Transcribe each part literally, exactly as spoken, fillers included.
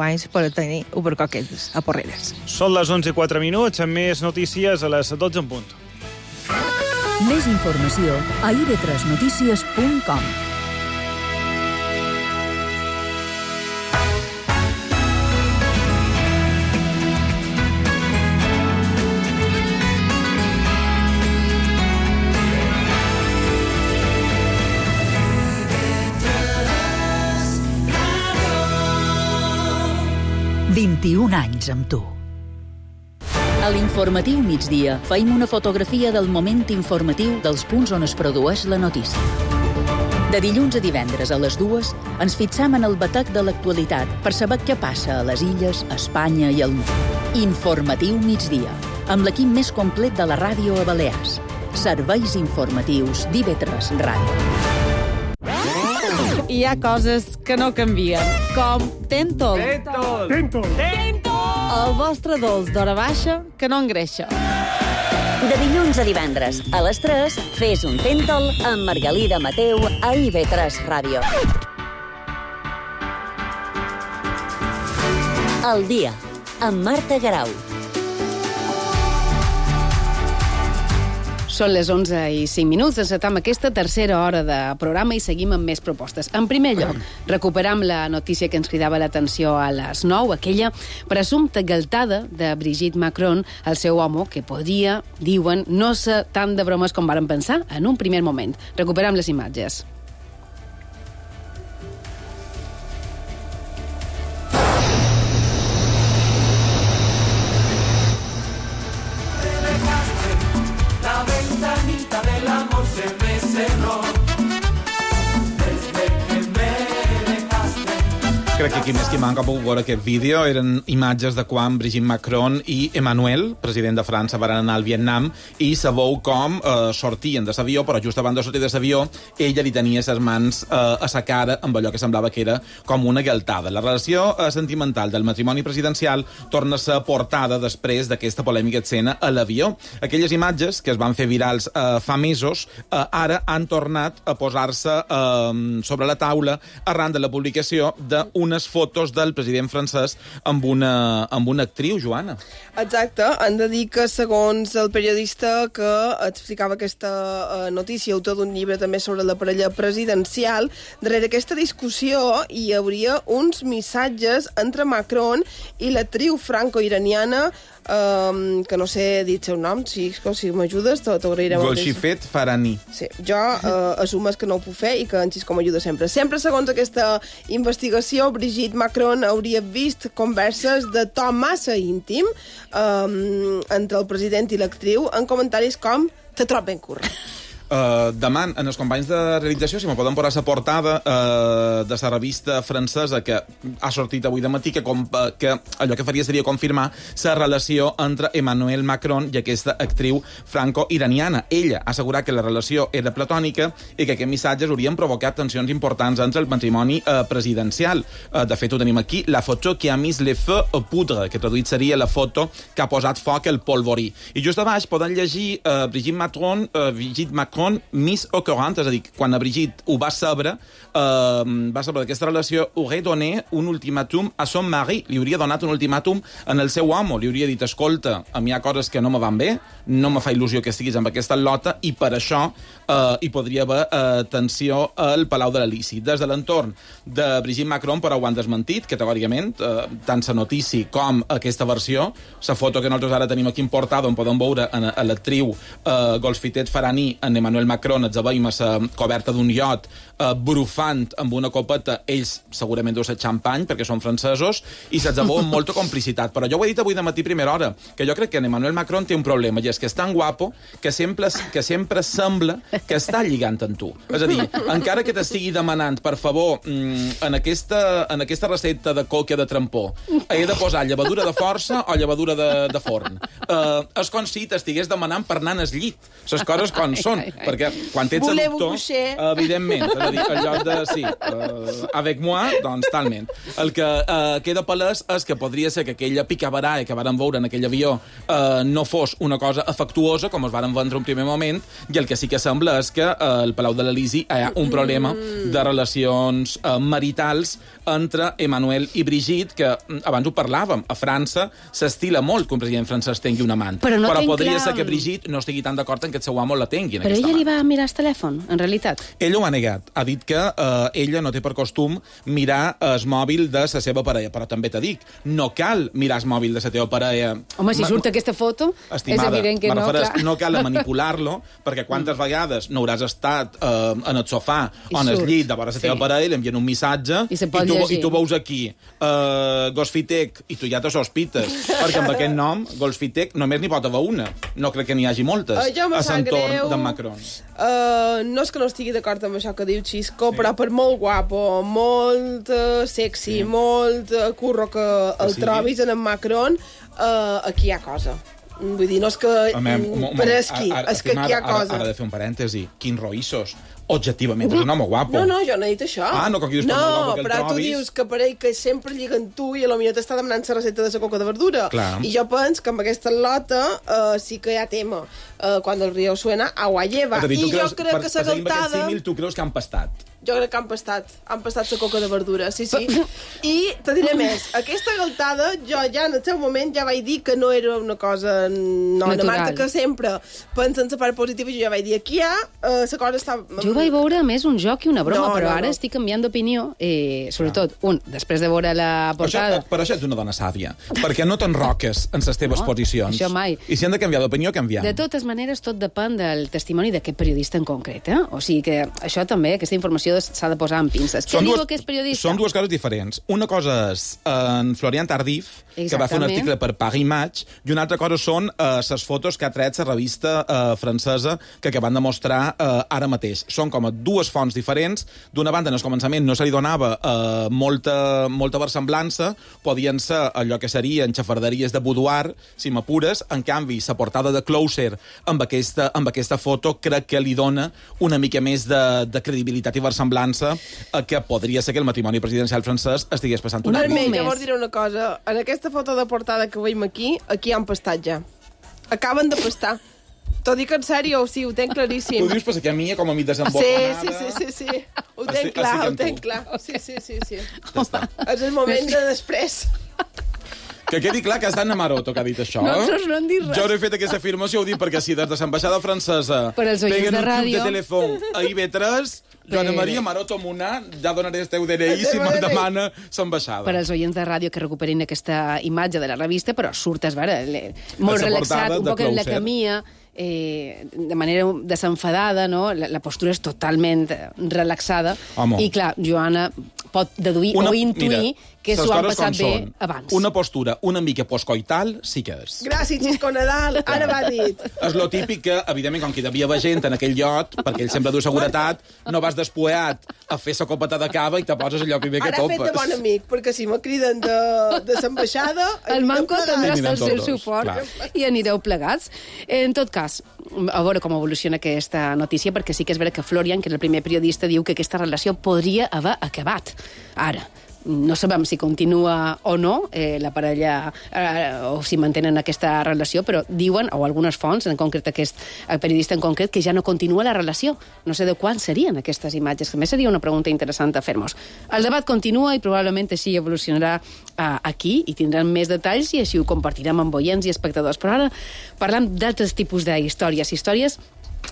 anys per tenir ubercoquetes a Porreres. Són les onze i quatre minuts, amb més notícies a les dotze en punt. Més informació a i ve tres notícies punt com. vint-i-un anys amb tu. A l'informatiu migdia feim una fotografia del moment informatiu dels punts on es produeix la notícia. De dilluns a divendres a les dues ens fixam en el batec de l'actualitat per saber què passa a les illes, a Espanya i al món. Informatiu migdia, amb l'equip més complet de la ràdio a Balears. Serveis informatius d'I ve tres Ràdio. Hi ha coses que no canvien, com Tentol. Tentol! Tentol! Tentol! El vostre dolç d'hora baixa que no engreixa. De dilluns a divendres a les tres, fes un Tentol amb Margalida Mateu a I ve tres Ràdio. El dia, amb Marta Garau. Són les onze i cinc minuts, encetam aquesta tercera hora de programa i seguim amb més propostes. En primer lloc, recuperam la notícia que ens cridava l'atenció a les nou, aquella presumpta galtada de Brigitte Macron, el seu home, que podria, diuen, no ser tant de bromes com varen pensar en un primer moment. Recuperam les imatges. Crec que qui més qui manca ha pogut veure aquest vídeo eren imatges de quan Brigitte Macron i Emmanuel, president de França, van anar al Vietnam i sabeu com eh, sortien de l'avió, però just abans de sortir de l'avió ella li tenia les mans eh, a sa cara amb allò que semblava que era com una galtada. La relació eh, sentimental del matrimoni presidencial torna a ser portada després d'aquesta polèmica escena a l'avió. Aquelles imatges que es van fer virals eh, fa mesos eh, ara han tornat a posar-se eh, sobre la taula arran de la publicació d'una unes fotos del president francès amb una, amb una actriu, Joana. Exacte, han de dir que segons el periodista que explicava aquesta uh, notícia, autor d'un llibre també sobre la parella presidencial, darrere aquesta discussió hi hauria uns missatges entre Macron i l'actriu franco-iraniana Um, que no sé dir el seu nom, si, si m'ajudes t'agrairé molt. Golshifet Farahani. Sí, jo uh, assumes que no ho puc fer i que en Xisco m'ajuda sempre. Sempre, segons aquesta investigació, Brigitte Macron hauria vist converses de to massa íntim um, entre el president i l'actriu en comentaris com «te trob ben curra». Uh, deman en els companys de realització si me poden posar la portada uh, de la revista francesa que ha sortit avui de matí que, com, uh, que allò que faria seria confirmar la relació entre Emmanuel Macron i aquesta actriu franco-iraniana. Ella ha assegurat que la relació era platònica i que aquests missatges haurien provocat tensions importants entre el matrimoni uh, presidencial. Uh, de fet, ho tenim aquí, la foto que ha mis le feu au poudre, que traduït seria la foto que ha posat foc al polvorí. I just a baix poden llegir uh, Brigitte Macron, uh, Brigitte Macron Miss au courant, és a dir, quan a Brigitte ho va saber, eh, va saber d'aquesta relació, hauria donat un ultimàtum a son mari, li hauria donat un ultimàtum en el seu home, li hauria dit, escolta, a mi hi ha coses que no me van bé, no me fa il·lusió que estiguis amb aquesta lota, i per això eh, hi podria haver eh, tensió al Palau de l'Elisi. Des de l'entorn de Brigitte Macron, però ho han desmentit, categòricament, eh, tant la notícia com aquesta versió, la foto que nosaltres ara tenim aquí en portada, on podem veure a, a l'actriu eh, Golshifet Farahani en Emmanuel Macron, els veiem a la coberta d'un iot eh, brufant amb una copeta, ells segurament deu ser xampany perquè són francesos, i se'ls veu amb molta complicitat. Però jo ho he dit avui de matí primera hora, que jo crec que en Emmanuel Macron té un problema, i és que és tan guapo que sempre, que sempre sembla que està lligant amb tu. És a dir, encara que t'estigui demanant, per favor, en aquesta, en aquesta recepta de coca de trampó, he de posar llevadura de força o llevadura de, de forn. Eh, és com si t'estigués demanant per anar al llit. Les coses com són. Perquè quan ets adoptor, evidentment, és a dir, el lloc de, sí, uh, avec moi, doncs talment. El que uh, queda palès és que podria ser que aquella picabaralla que varen veure en aquell avió uh, no fos una cosa afectuosa, com es varen vendre un primer moment, i el que sí que sembla és que uh, al Palau de l'Elisi hi ha un problema de relacions uh, maritals entre Emmanuel i Brigitte, que abans ho parlàvem, a França s'estila molt que un president francès tingui una amant. Però, no però podria clar... ser que Brigitte no estigui tan d'acord en que el seu amo la tingui. Però ella li va mirar el telèfon, en realitat? Ella ho ha negat. Ha dit que eh, ella no té per costum mirar el mòbil de la seva parella. Però també t'ho dic, no cal mirar el mòbil de la teva parella. Home, si Ma... surt aquesta foto, Estimada, és evident que no, refereix, clar. no cal manipular-lo, perquè quantes vegades no hauràs estat eh, en el sofà I o en el surt. llit de vora la teva Sí. parella, li envien un missatge I se i, pot tu, llegir. i tu veus aquí eh, Golfitec i tu ja te sospites, perquè amb aquest nom, Golfitec, només n'hi pot haver una. No crec que n'hi hagi moltes Uh, jo me a sap l'entorn greu. d'en Macron. Uh, no és que no estigui d'acord amb això que diu Xisco, sí. però per molt guapo, molt uh, sexy, sí. molt uh, curro que el sí. trobis en en Macron, uh, aquí hi ha cosa. Vull dir, no és que... Home, un moment, però és qui, ara, és que aquí hi ha ara, cosa. Ara, ara de fer un parèntesi. Quin roïssos. Objectivament, és un home guapo. No, no, jo no he dit això. Ah, no, que aquí dius que no, és molt guapo que el però tu trobis. dius que per ell que sempre lliguen tu i a lo millor t'està demanant la recepta de la coca de verdura. Clar. I jo penso que amb aquesta lota uh, sí que hi ha tema. Uh, quan el río suena, agua lleva. És a dir, tu I creus, jo crec per, que per la seguir amb aquest galtada... símil, tu creus que han pastat? Jo crec que han pastat, han pastat la coca de verdura, sí, sí. I te diré més, aquesta galtada, jo ja en el seu moment ja vaig dir que no era una cosa... No, natural. una Marta que sempre pensa en la part positiva i jo ja vaig dir, aquí hi ha, uh, la cosa està... Jo vaig veure a més un joc i una broma, No, però no, ara no. estic canviant d'opinió, eh, sobretot, un, després de veure la portada... Això, però això ets una dona sàvia, perquè no t'enroques en les teves No, posicions. això mai. I si han de canviar d'opinió, canviem. De totes maneres, tot depèn del testimoni d'aquest periodista en concret, eh? O sigui que això també, aquesta informació s'ha de posar en pinces. Què diu aquest periodista? Són dues coses diferents. Una cosa és en Florian Tardif, que va fer un Exactament. article per Paris Match, i una altra cosa són les uh, fotos que ha tret la revista uh, francesa que acaben de mostrar uh, ara mateix. Són com a dues fonts diferents. D'una banda, en el començament no se li donava uh, molta, molta versemblança, podien ser allò que serien xafarderies de boudoir, si m'apures. En canvi, la portada de Closer amb aquesta, amb aquesta foto crec que li dona una mica més de, de credibilitat i versemblança a que podria ser que el matrimoni presidencial francès estigués passant una Almenys, més. llavors diré una cosa. En aquesta foto de portada que veiem aquí, aquí han pastat ja. Acaben de pastar. T'ho dic en sèrio, sí, ho tenc claríssim. Tu dius pues, que a mi, com a mi Sí, desembocanada... sí, sí, sí, sí. Ho Estic- tenc clar, estic ho amb tu. tenc clar. Sí, sí, sí, sí. Ja està. És el moment de després. Que quedi clar que és d'Anna Maroto que ha dit això. Nosaltres no hem dit res. Jo no he fet aquesta afirmació, ho dic perquè si des de l'ambaixada francesa Per als oients peguen de un club ràdio. de telèfon a I B tres, Joana Bé. Maria Maroto Munà, ja donaré el teu D N I si El teu me'n D N I. demana l'ambaixada. Per als oients de ràdio que recuperin aquesta imatge de la revista, però surt, es veure, le- molt La relaxat, portada un de poc en la Closer. camia, eh, de manera desenfadada, no? La, la postura és totalment eh, relaxada. Home. I, clar, Joana pot deduir o intuir mira, que les s'ho han coses passat com bé són. abans. Una postura una mica postcoital sí que és. Gràcies, Xisco Nadal. Ara va dit. És lo típic que, evidentment, com que hi devia haver gent en aquell llot, perquè ell sempre du seguretat, no vas despueat a fer la copeta de cava i te poses allò primer que Ara he fet topes. de bon amic, perquè si me criden de, de l'ambaixada... El Manco també Anirem està al seu tots, suport clar. i anireu plegats. En tot cas, a veure com evoluciona aquesta notícia, perquè sí que és vera que Florian, que és el primer periodista, diu que aquesta relació podria haver acabat. Ara, no sabem si continua o no eh, la parella eh, o si mantenen aquesta relació, però diuen, o algunes fonts, en concret aquest el periodista en concret, que ja no continua la relació. No sé de quan serien aquestes imatges, que a més seria una pregunta interessant a fer-nos. El debat continua i probablement així evolucionarà eh, aquí i tindrem més detalls i així ho compartirem amb oients i espectadors. Però ara parlant d'altres tipus d'històries, històries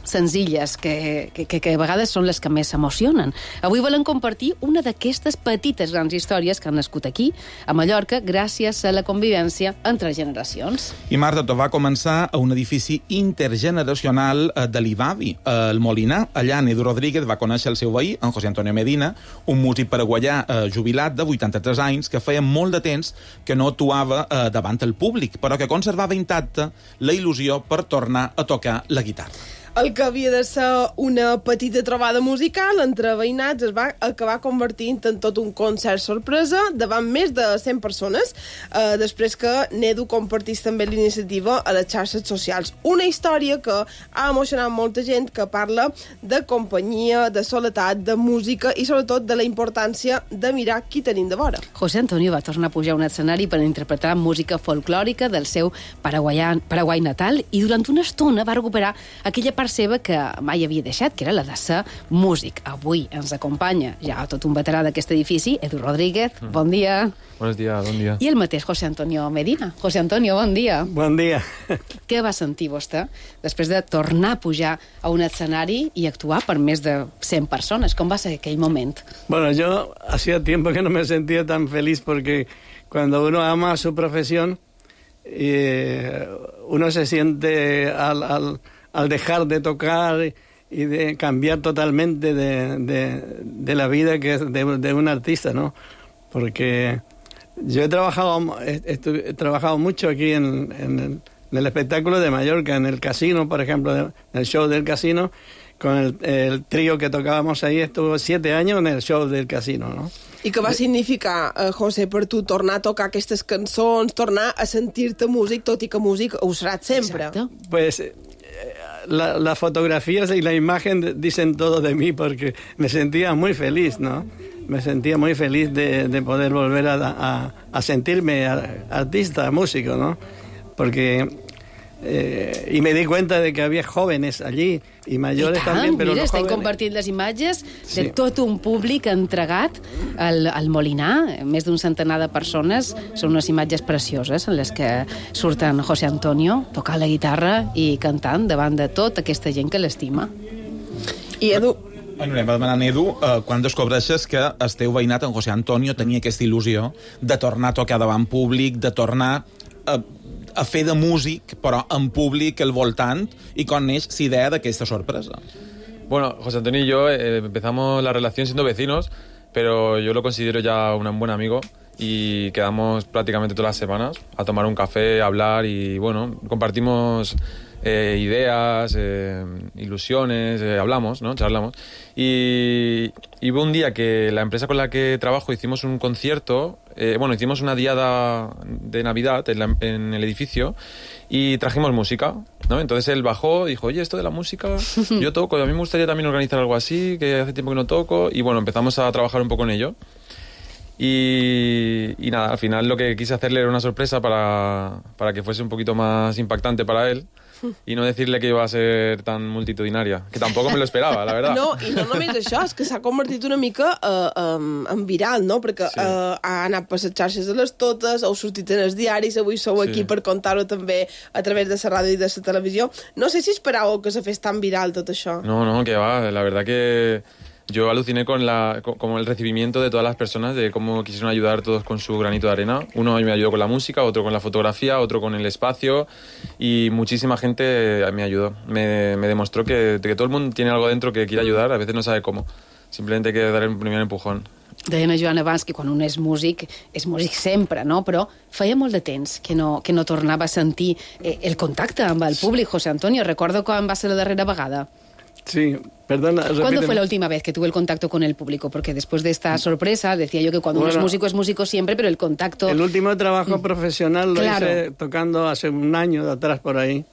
senzilles, que, que, que a vegades són les que més s'emocionen. Avui volem compartir una d'aquestes petites grans històries que han nascut aquí, a Mallorca, gràcies a la convivència entre generacions. I Marta, tot va començar a un edifici intergeneracional eh, de l'Ivavi, el Molinar. Allà Edu Rodríguez va conèixer el seu veí, en José Antonio Medina, un músic paraguaià eh, jubilat de vuitanta-tres anys que feia molt de temps que no actuava eh, davant el públic, però que conservava intacta la il·lusió per tornar a tocar la guitarra. El que havia de ser una petita trobada musical entre veïnats es va acabar convertint en tot un concert sorpresa davant més de cent persones, eh, després que Nedu compartís també l'iniciativa a les xarxes socials. Una història que ha emocionat molta gent, que parla de companyia, de soledat, de música i sobretot de la importància de mirar qui tenim de vora. José Antonio va tornar a pujar a un escenari per interpretar música folclòrica del seu paraguaià, Paraguai natal i durant una estona va recuperar aquella part seva que mai havia deixat, que era la de ser músic. Avui ens acompanya ja tot un veterà d'aquest edifici, Edu Rodríguez, mm. bon dia. Buenos días, bon dia. I el mateix José Antonio Medina. José Antonio, bon dia. Bon dia. Què va sentir vostè després de tornar a pujar a un escenari i actuar per més de cent persones? Com va ser aquell moment? Bueno, yo hacía tiempo que no me sentía tan feliz porque cuando uno ama su profesión, eh, uno se siente al, al, al dejar de tocar y de cambiar totalmente de, de, de la vida que es de, de un artista, ¿no? Porque yo he trabajado, he, he trabajado mucho aquí en, en, el, en el espectáculo de Mallorca, en el casino, por ejemplo, en el show del casino, con el, el trío que tocábamos ahí, estuvo siete años en el show del casino, ¿no? I què va significar, eh, José, per tu tornar a tocar aquestes cançons, tornar a sentir-te músic, tot i que músic ho seràs sempre? Exacto. Pues eh, la, las fotografías y la imagen dicen todo de mí porque me sentía muy feliz, ¿no? Me sentía muy feliz de, de poder volver a, a, a sentirme artista, músico, ¿no? Porque... Eh, y me di cuenta de que había jóvenes allí y mayores I tant, también, pero mira, los estem jóvenes... compartint les imatges de Sí. tot un públic entregat al, al Molinar, més d'un centenar de persones. Són unes imatges precioses en les que surten José Antonio tocant la guitarra i cantant davant de tota aquesta gent que l'estima. I Edu, Bueno, anem demanant, Edu, eh, quan descobreixes que el teu veïnat, en José Antonio, tenia aquesta il·lusió de tornar a tocar davant públic, de tornar a, a fer de músic, però en públic al voltant, i com neix la idea d'aquesta sorpresa? Bueno, José Antonio y yo eh, empezamos la relación siendo vecinos, pero yo lo considero ya un buen amigo y quedamos prácticamente todas las semanas a tomar un café, a hablar y, bueno, compartimos eh, ideas, eh, ilusiones, eh, hablamos, ¿no? Charlamos. Y, y hubo un día que la empresa con la que trabajo hicimos un concierto, eh, bueno, hicimos una diada de Navidad en, la, en el edificio y trajimos música, ¿no? Entonces él bajó y dijo, oye, esto de la música, yo toco, a mí me gustaría también organizar algo así, que hace tiempo que no toco, y bueno, empezamos a trabajar un poco en ello. Y, y nada, al final lo que quise hacerle era una sorpresa para, para que fuese un poquito más impactante para él i no decirle que iba a ser tan multitudinaria, que tampoco me lo esperaba, la verdad. no, i no només això, és que s'ha convertit una mica uh, um, en viral, no? Perquè sí. uh, ha anat per les xarxes de les totes, heu sortit en els diaris, avui sou Sí. aquí per contar-ho també a través de la ràdio i de la televisió. No sé si esperàveu que se fes tan viral tot això. No, no, que va, la verdad que yo aluciné con la con, como el recibimiento de todas las personas, de cómo quisieron ayudar todos con su granito de arena. Uno me ayudó con la música, otro con la fotografía, otro con el espacio y muchísima gente me ayudó. Me, me demostró que, que todo el mundo tiene algo dentro que quiere ayudar, a veces no sabe cómo. Simplemente hay que dar el primer empujón. Deien a Joan abans que quan un és músic, és músic sempre, no? Però feia molt de temps que no, que no tornava a sentir eh, el contacte amb el públic. José Antonio, recordo quan va ser la darrera vegada. Sí, perdona, ¿Cuándo repíteme. fue la última vez que tuve el contacto con el público? Porque después de esta sorpresa, decía yo que cuando Bueno, uno es músico, es músico siempre, pero el contacto... El último trabajo profesional lo Claro. hice tocando hace un año de atrás por ahí.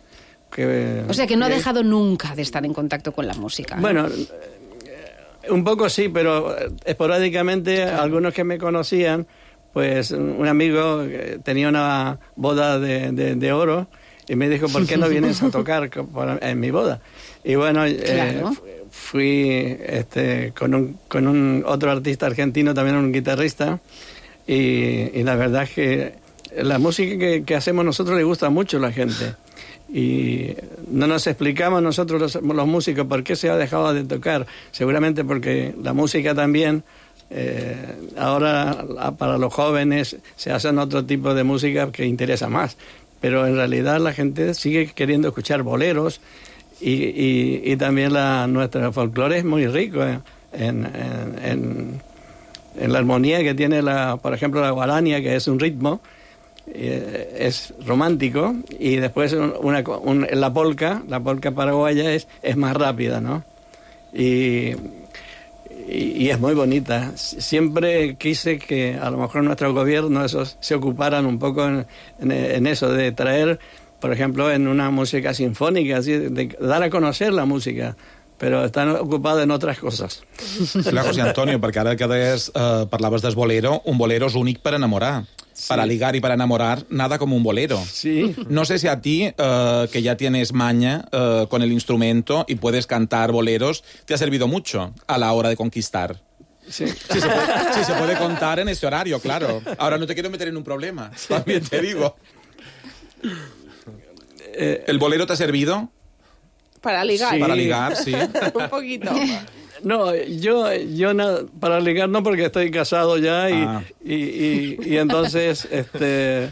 Que, O sea, que no ha que- dejado nunca de estar en contacto con la música. ¿eh? Bueno, eh, un poco sí, pero esporádicamente algunos que me conocían, pues un amigo que tenía una boda de, de, de oro y me dijo, ¿por qué no vienes a tocar co- para- en mi boda? Y bueno, eh, Claro. fu- fui este, con, un, con un otro artista argentino, también un guitarrista, y, y la verdad es que la música que, que hacemos nosotros le gusta mucho a la gente. Y no nos explicamos nosotros los, los músicos por qué se ha dejado de tocar. Seguramente porque la música también, eh, ahora la- para los jóvenes se hacen otro tipo de música que interesa más. Pero en realidad la gente sigue queriendo escuchar boleros y, y, y también la, nuestro folclore es muy rico en, en, en, en la armonía que tiene, la, por ejemplo, la guarania, que es un ritmo. Eh, es romántico, y después una, un, la polca, la polca paraguaya es, es más rápida, ¿no? Y, y, y es muy bonita. Siempre quise que a lo mejor nuestro gobierno esos, se ocuparan un poco en, en, en eso, de traer, por ejemplo, en una música sinfónica, así, de dar a conocer la música, però estan ocupats en altres coses. Clar, José Antonio, perquè ara que deies, eh, parlaves del bolero, un bolero és únic per enamorar. sí. para ligar y para enamorar, nada como un bolero. Sí. No sé si a ti, uh, que ya tienes maña uh, con el instrumento y puedes cantar boleros, te ha servido mucho a la hora de conquistar. Sí. Sí, se puede, sí, se puede contar en este horario, claro. Ahora no te quiero meter en un problema, también te digo. Eh, ¿El bolero te ha servido? Para ligar. Sí. Para ligar, sí. Un poquito. No, yo, yo na, para ligar no, porque estoy casado ya y, ah. y, y, y entonces... este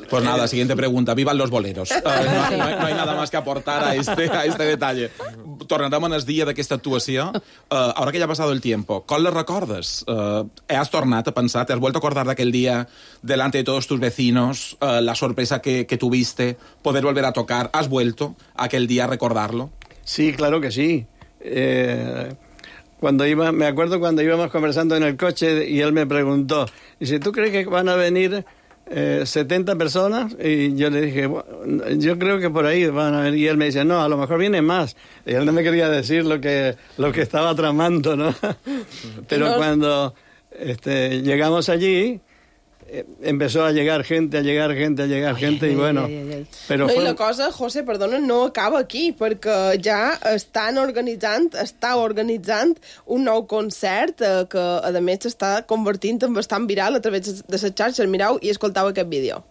Pues nada, siguiente pregunta. Vivan los boleros. Uh, no, no, no hay nada más que aportar a este, a este detalle. Tornarem en el dia d'aquesta actuació. Uh, ahora que ya ha pasado el tiempo, ¿com la recordes? Uh, ¿Has tornat a pensar? ¿Te has vuelto a acordar de aquel día delante de todos tus vecinos? Uh, la sorpresa que, que tuviste, poder volver a tocar. ¿Has vuelto a aquel día a recordarlo? Sí, claro que sí. Eh, cuando iba, me acuerdo cuando íbamos conversando en el coche y él me preguntó, dice, ¿tú crees que van a venir eh, setenta personas? Y yo le dije, bueno, yo creo que por ahí van a venir. Y él me dice, no, a lo mejor vienen más. Y él no me quería decir lo que, lo que estaba tramando, ¿no? Pero no. cuando este, llegamos allí, empezó a llegar gente, a llegar gente, a llegar ai, gente, ai, i bueno... Ai, ai, ai. Però no, fue... I la cosa, José, perdona, no acaba aquí, perquè ja estan organitzant, està organitzant un nou concert eh, que, a més, s'està convertint en bastant viral a través de les xarxes. Mireu i escoltau aquest vídeo.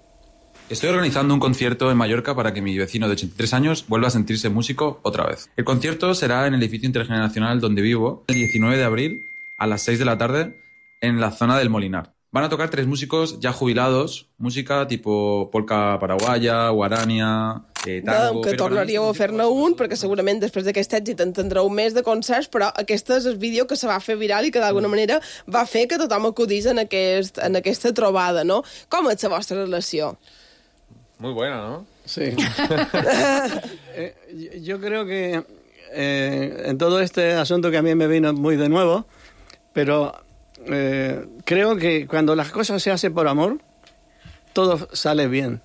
Estoy organizando un concierto en Mallorca para que mi vecino de ochenta y tres años vuelva a sentirse músico otra vez. El concierto será en el edificio intergeneracional donde vivo el diecinueve de abril a las seis de la tarde en la zona del Molinar. Van a tocar tres músicos ya jubilados, música tipo polca paraguaya, guarania, eh, tango... Que tornaríeu a fer-ne un, perquè segurament després d'aquest èxit en tindreu més de concerts, però aquest és el vídeo que se va fer viral i que d'alguna manera va fer que tothom acudís en, aquest, en aquesta trobada, no? Com és la vostra relació? Muy buena, ¿no? Sí. eh, yo creo que eh, en todo este asunto que a mí me vino muy de nuevo, pero... Eh, creo que cuando las cosas se hacen por amor, todo sale bien.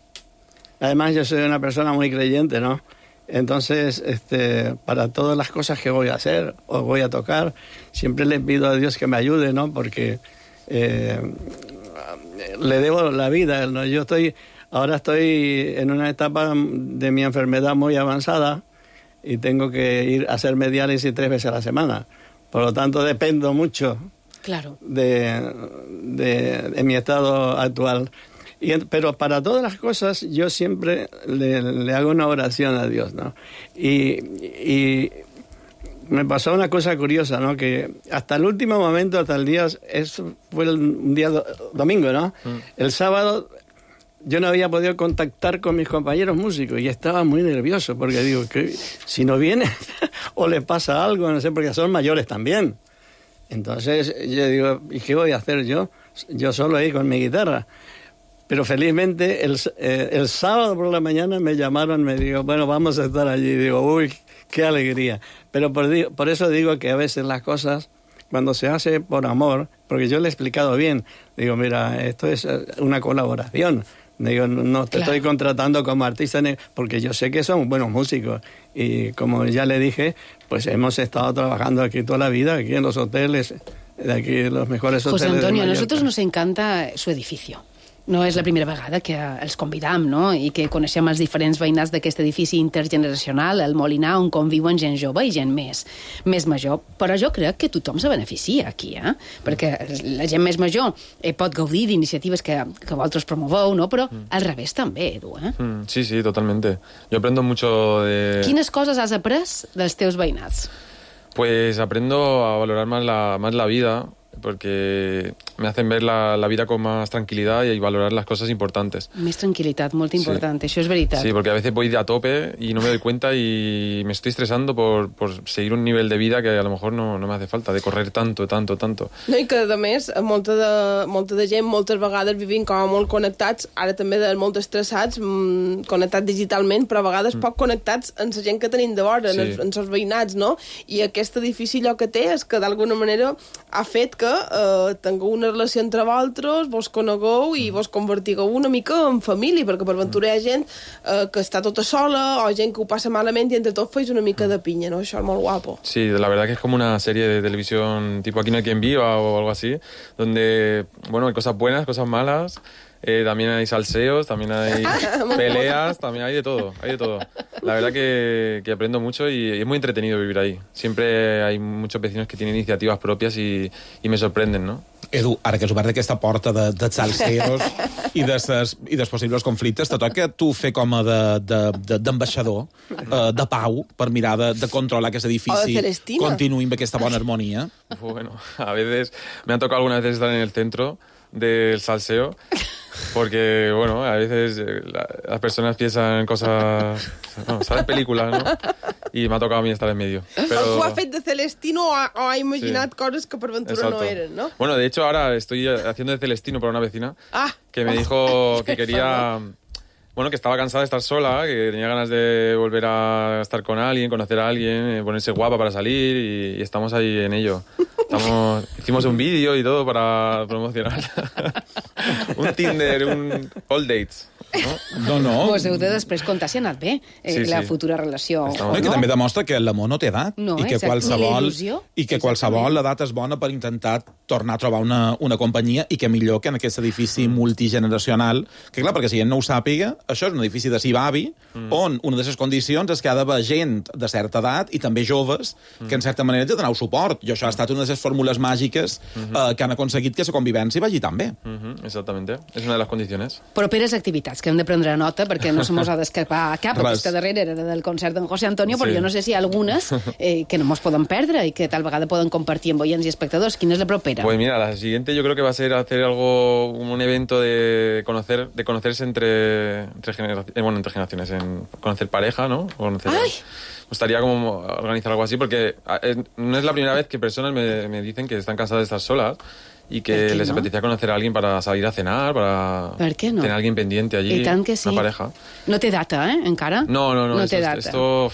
Además, yo soy una persona muy creyente, ¿no? Entonces, este, para todas las cosas que voy a hacer o voy a tocar, siempre le pido a Dios que me ayude, ¿no? Porque eh, le debo la vida, ¿no? Yo estoy, ahora estoy en una etapa de mi enfermedad muy avanzada y tengo que ir a hacerme diálisis tres veces a la semana. Por lo tanto, dependo mucho. Claro. De, de, de mi estado actual. Y, pero para todas las cosas yo siempre le, le hago una oración a Dios, ¿no? Y, y me pasó una cosa curiosa, ¿no? Que hasta el último momento, hasta el día, eso fue el, un día do, domingo, ¿no? Mm. El sábado yo no había podido contactar con mis compañeros músicos y estaba muy nervioso porque digo, que si no viene o le pasa algo, no sé, porque son mayores también. Entonces yo digo, ¿y qué voy a hacer yo? Yo solo ahí con mi guitarra. Pero felizmente el, eh, el sábado por la mañana me llamaron, me digo, bueno, vamos a estar allí. Digo, uy, qué alegría. Pero por, por eso digo que a veces las cosas, cuando se hace por amor, porque yo le he explicado bien, digo, mira, esto es una colaboración. Digo, no te claro. estoy contratando como artista, porque yo sé que son buenos músicos. Y como ya le dije, pues hemos estado trabajando aquí toda la vida, aquí en los hoteles, de aquí los mejores hoteles. José Antonio, de a nosotros nos encanta su edificio. No és la primera vegada que els convidam, no? I que coneixem els diferents veïnats d'aquest edifici intergeneracional, el Molinar, on conviuen gent jove i gent més, més major. Però jo crec que tothom se beneficia aquí, eh? Perquè la gent més major eh, pot gaudir d'iniciatives que, que vosaltres promoveu, no? Però al revés també, Edu, eh? Mm, sí, sí, totalmente. Yo aprendo mucho de... Quines coses has après dels teus veïnats? Pues aprendo a valorar más la, más la vida, porque me hacen ver la, la vida con más tranquilidad y valorar las cosas importantes. Més tranquil·litat, molt important, sí. Això és veritat. Sí, porque a veces voy de a tope y no me doy cuenta y me estoy estresando por, por seguir un nivel de vida que a lo mejor no, no me hace falta, de correr tanto, tanto, tanto. No, i que a més, molta de, molta de gent moltes vegades vivim com a molt connectats, ara també de molt estressats, mmm, connectats digitalment, però a vegades mm. poc connectats amb la gent que tenim de vora, sí. en, els, en els veïnats, no? I aquest edifici allò que té és que d'alguna manera ha fet que eh, tingueu una relació entre vosaltres, vos conegueu i vos convertigueu una mica en família, perquè per ventura hi ha gent eh, que està tota sola o gent que ho passa malament i entre tots feis una mica de pinya, ¿no? Això és molt guapo. Sí, la verdad que es como una serie de televisión tipo Aquí no hay quien viva o algo así, donde, bueno, hay cosas buenas, cosas malas, Eh, también hay salseos, también hay peleas, también hay de todo, hay de todo. La verdad que, que aprendo mucho y es muy entretenido vivir ahí. Siempre hay muchos vecinos que tienen iniciativas propias y, y me sorprenden, ¿no? Edu, ara que has obert aquesta porta de, de salseros i, de ses, i dels possibles conflictes, te toca tu fer com a d'ambaixador, de, de, eh, de pau, per mirar de, de controlar que aquest edifici continuï amb aquesta bona harmonia. Bueno, a veces me ha tocado algunas veces estar en el centro del salseo, porque, bueno, a veces la, las personas piensan cosas, no, ¿sabes? Películas, ¿no? Y me ha tocado a mí estar en medio. Pero... Algú ha fet de Celestino o ha, o ha imaginat sí. coses que per ventura Exacto. no eren, ¿no? Bueno, de hecho, ahora estoy haciendo de Celestino para una vecina ah. que me dijo que quería... Bueno, que estaba cansada de estar sola, que tenía ganas de volver a estar con alguien, conocer a alguien, ponerse guapa para salir y, y estamos ahí en ello. Estamos, hicimos un vídeo y todo para promocionar. Un Tinder, un All Dates. No, no. Pues heu de després comptar si ha anat bé eh, sí, la sí. futura relació. No, no? I que també demostra que l'amor no té edat. No, I que exacte. qualsevol, i que Exactament. qualsevol edat és bona per intentar tornar a trobar una, una companyia i que millor que en aquest edifici multigeneracional. Que clar, perquè si gent no ho sàpiga, això és un edifici de Sibavi, mm. on una de les condicions és que ha d'haver gent de certa edat i també joves mm. que en certa manera te doneu suport. I això ha estat una de les fórmules màgiques mm-hmm. eh, que han aconseguit que la convivència vagi tan bé. Mm-hmm. Exactamente. És una de les condicions. Properes activitats que hem de prendre nota perquè no se mos ha d'escapar cap. Aquesta darrere era del concert d'en José Antonio, però sí. jo no sé si hi ha algunes eh, que no mos poden perdre i que tal vegada poden compartir amb oients i espectadors. Quina és la propera? Pues mira, la siguiente yo creo que va a ser hacer algo, un evento de conocer, de conocerse entre, entre, genera, eh, bueno, entre generaciones, en conocer pareja, ¿no? Conocer, ¡Ay! Me gustaría como organizar algo así, porque es, no es la primera vez que personas me, me dicen que están cansadas de estar solas y que les no? apetecía conocer a alguien para salir a cenar, para ¿Per qué no? tener a alguien pendiente allí, I tant que sí. una pareja. No té data, eh, encara? No, no, no, no esto, té data. esto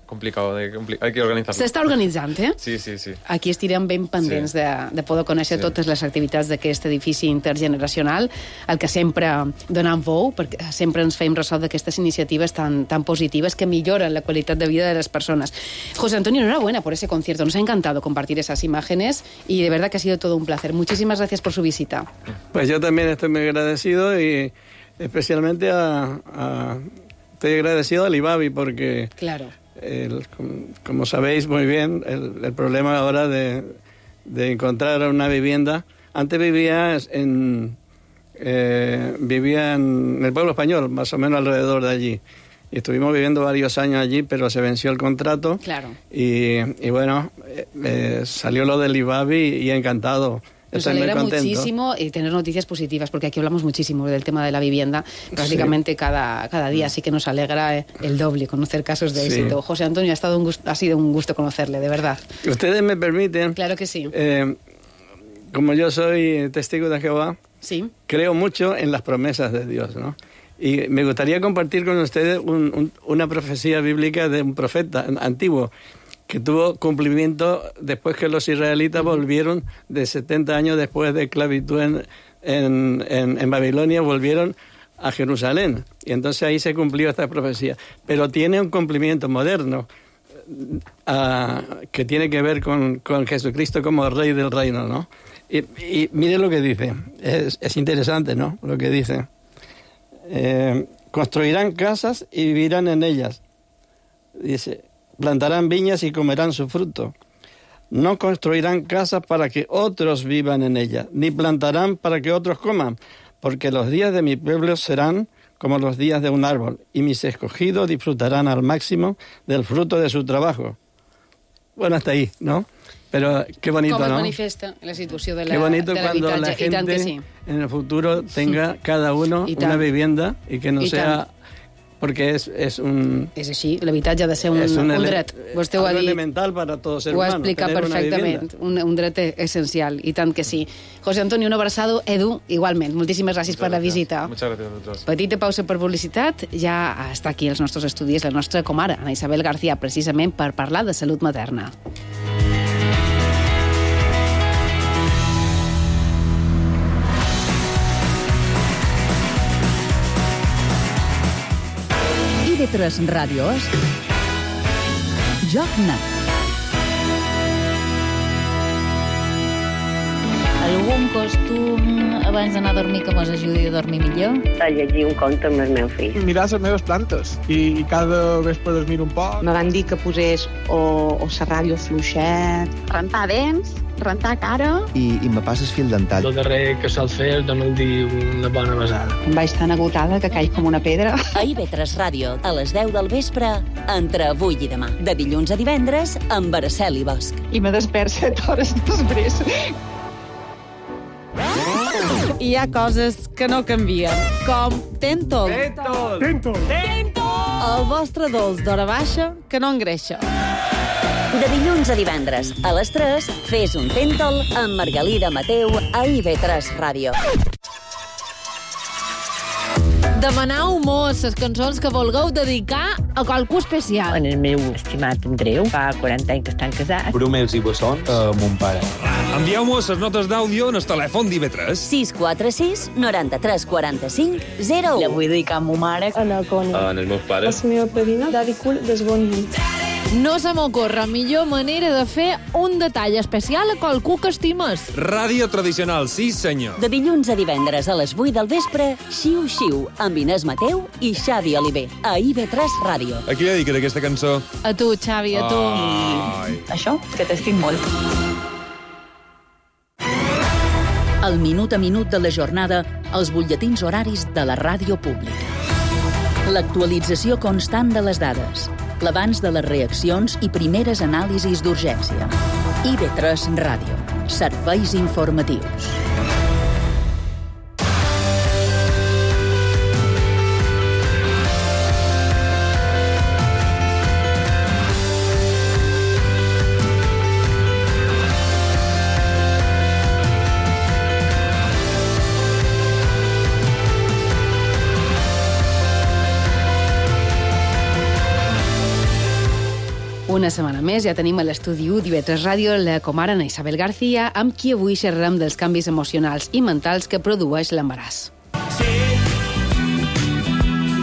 complicado, de, compli hay que organizarlo. S'està organitzant, eh? Sí, sí, sí. Aquí estirem ben pendents sí. de, de poder conèixer sí. totes les activitats d'aquest edifici intergeneracional, el que sempre donem veu, perquè sempre ens fem ressò d'aquestes iniciatives tan, tan positives que milloran la qualitat de vida de les personas. José Antonio, enhorabuena por ese concierto. Nos ha encantado compartir esas imágenes y de verdad que ha sido todo un placer. Muchísimas gracias por su visita. Pues yo también estoy muy agradecido y especialmente a, a estoy agradecido al Ibavi porque... Claro. El, como sabéis muy bien, el, el problema ahora de, de encontrar una vivienda. Antes vivía en, eh, vivía en el pueblo español, más o menos alrededor de allí. Y estuvimos viviendo varios años allí, pero se venció el contrato. Claro. Y, y bueno, eh, eh, salió lo del Ibavi y encantado. Nos alegra muchísimo y tener noticias positivas, porque aquí hablamos muchísimo del tema de la vivienda prácticamente sí. cada, cada día, así que nos alegra el doble conocer casos de sí. éxito. José Antonio, ha, estado un gusto, ha sido un gusto conocerle, de verdad. Ustedes me permiten... Claro que sí. Eh, como yo soy testigo de Jehová, sí. creo mucho en las promesas de Dios, ¿no? Y me gustaría compartir con ustedes un, un, una profecía bíblica de un profeta antiguo, que tuvo cumplimiento después que los israelitas volvieron de setenta años después de esclavitud en, en, en, en Babilonia, volvieron a Jerusalén. Y entonces ahí se cumplió esta profecía. Pero tiene un cumplimiento moderno uh, que tiene que ver con, con Jesucristo como Rey del Reino, ¿no? Y, y mire lo que dice. Es, es interesante, ¿no? Lo que dice. Eh, construirán casas y vivirán en ellas. Dice... Plantarán viñas y comerán su fruto. No construirán casas para que otros vivan en ellas, ni plantarán para que otros coman, porque los días de mi pueblo serán como los días de un árbol, y mis escogidos disfrutarán al máximo del fruto de su trabajo. Bueno, hasta ahí, ¿no? Pero qué bonito, Com ¿no? es manifesta la situació de la, qué bonito de cuando la gente sí. en el futuro tenga cada uno una vivienda y que no I sea... tant. Porque és, és un... És així, l'habitatge ha de ser un, un, un dret. Vostè ho ha dit. elemental para todo ser humano. Ho ha humano, explicat perfectament. Un, un dret essencial, i tant que sí. José Antonio, un abraçado. Edu, igualment. Moltíssimes gràcies per la visita. Muchas gracias a vosotros. Petita pausa per publicitat. Ja està aquí als nostres estudis la nostra comare, Ana Isabel García, precisament per parlar de salut materna. I de tres ràdios, Joc Net. Algun costum abans d'anar a dormir que mos ajudi a dormir millor? A llegir un conte amb el meu fill. Mirar les meves plantes i, i cada vespre dormir un poc. Me van dir que posés o, o la ràdio fluixet. Rentar dents, rentar cara. I, i me passes fil dental. El darrer que sol fer és donar-li una bona besada. Em vaig tan agotada que caig com una pedra. A I V tres Ràdio, a les deu del vespre, entre avui i demà. De dilluns a divendres, amb Araceli Bosch. I me despert set hores després. Hi ha coses que no canvien, com Tentol. Tentol! Tentol! Tentol! El vostre dolç d'hora baixa que no engreixa. De dilluns a divendres, a les tres, fes un Tentol amb Margalida Mateu a I V tres Ràdio. Demanau mos les cançons que vulgueu dedicar a qualcú especial. En el meu estimat Andreu, fa quaranta anys que estan casats. Brumels i bessons a mon pare. Envieu-mos les notes d'àudio en el telèfon d'I V tres. sis quatre sis, noranta-tres, quaranta-cinc, zero u. La vull dedicar a ma mare. En el Coni. En els meus pares. La meva padrina, Daddy Cool, desboni. No se m'ocorre millor manera de fer un detall especial a qualcú que estimes. Ràdio tradicional, sí senyor. De dilluns a divendres a les vuit del vespre, Xiu Xiu, amb Inés Mateu i Xavi Oliver, a I V tres Ràdio. A qui dediques aquesta cançó? A tu, Xavi, a tu. Ai. Això, que t'estic molt. El minut a minut de la jornada, els butlletins horaris de la ràdio pública. L'actualització constant de les dades, l'abans de les reaccions i primeres anàlisis d'urgència. I V tres Ràdio. Serveis informatius. Una setmana més ja tenim a l'estudi u d'I V tres Ràdio la comare Ana Isabel García, amb qui avui xerrarem dels canvis emocionals i mentals que produeix l'embaràs. Sí,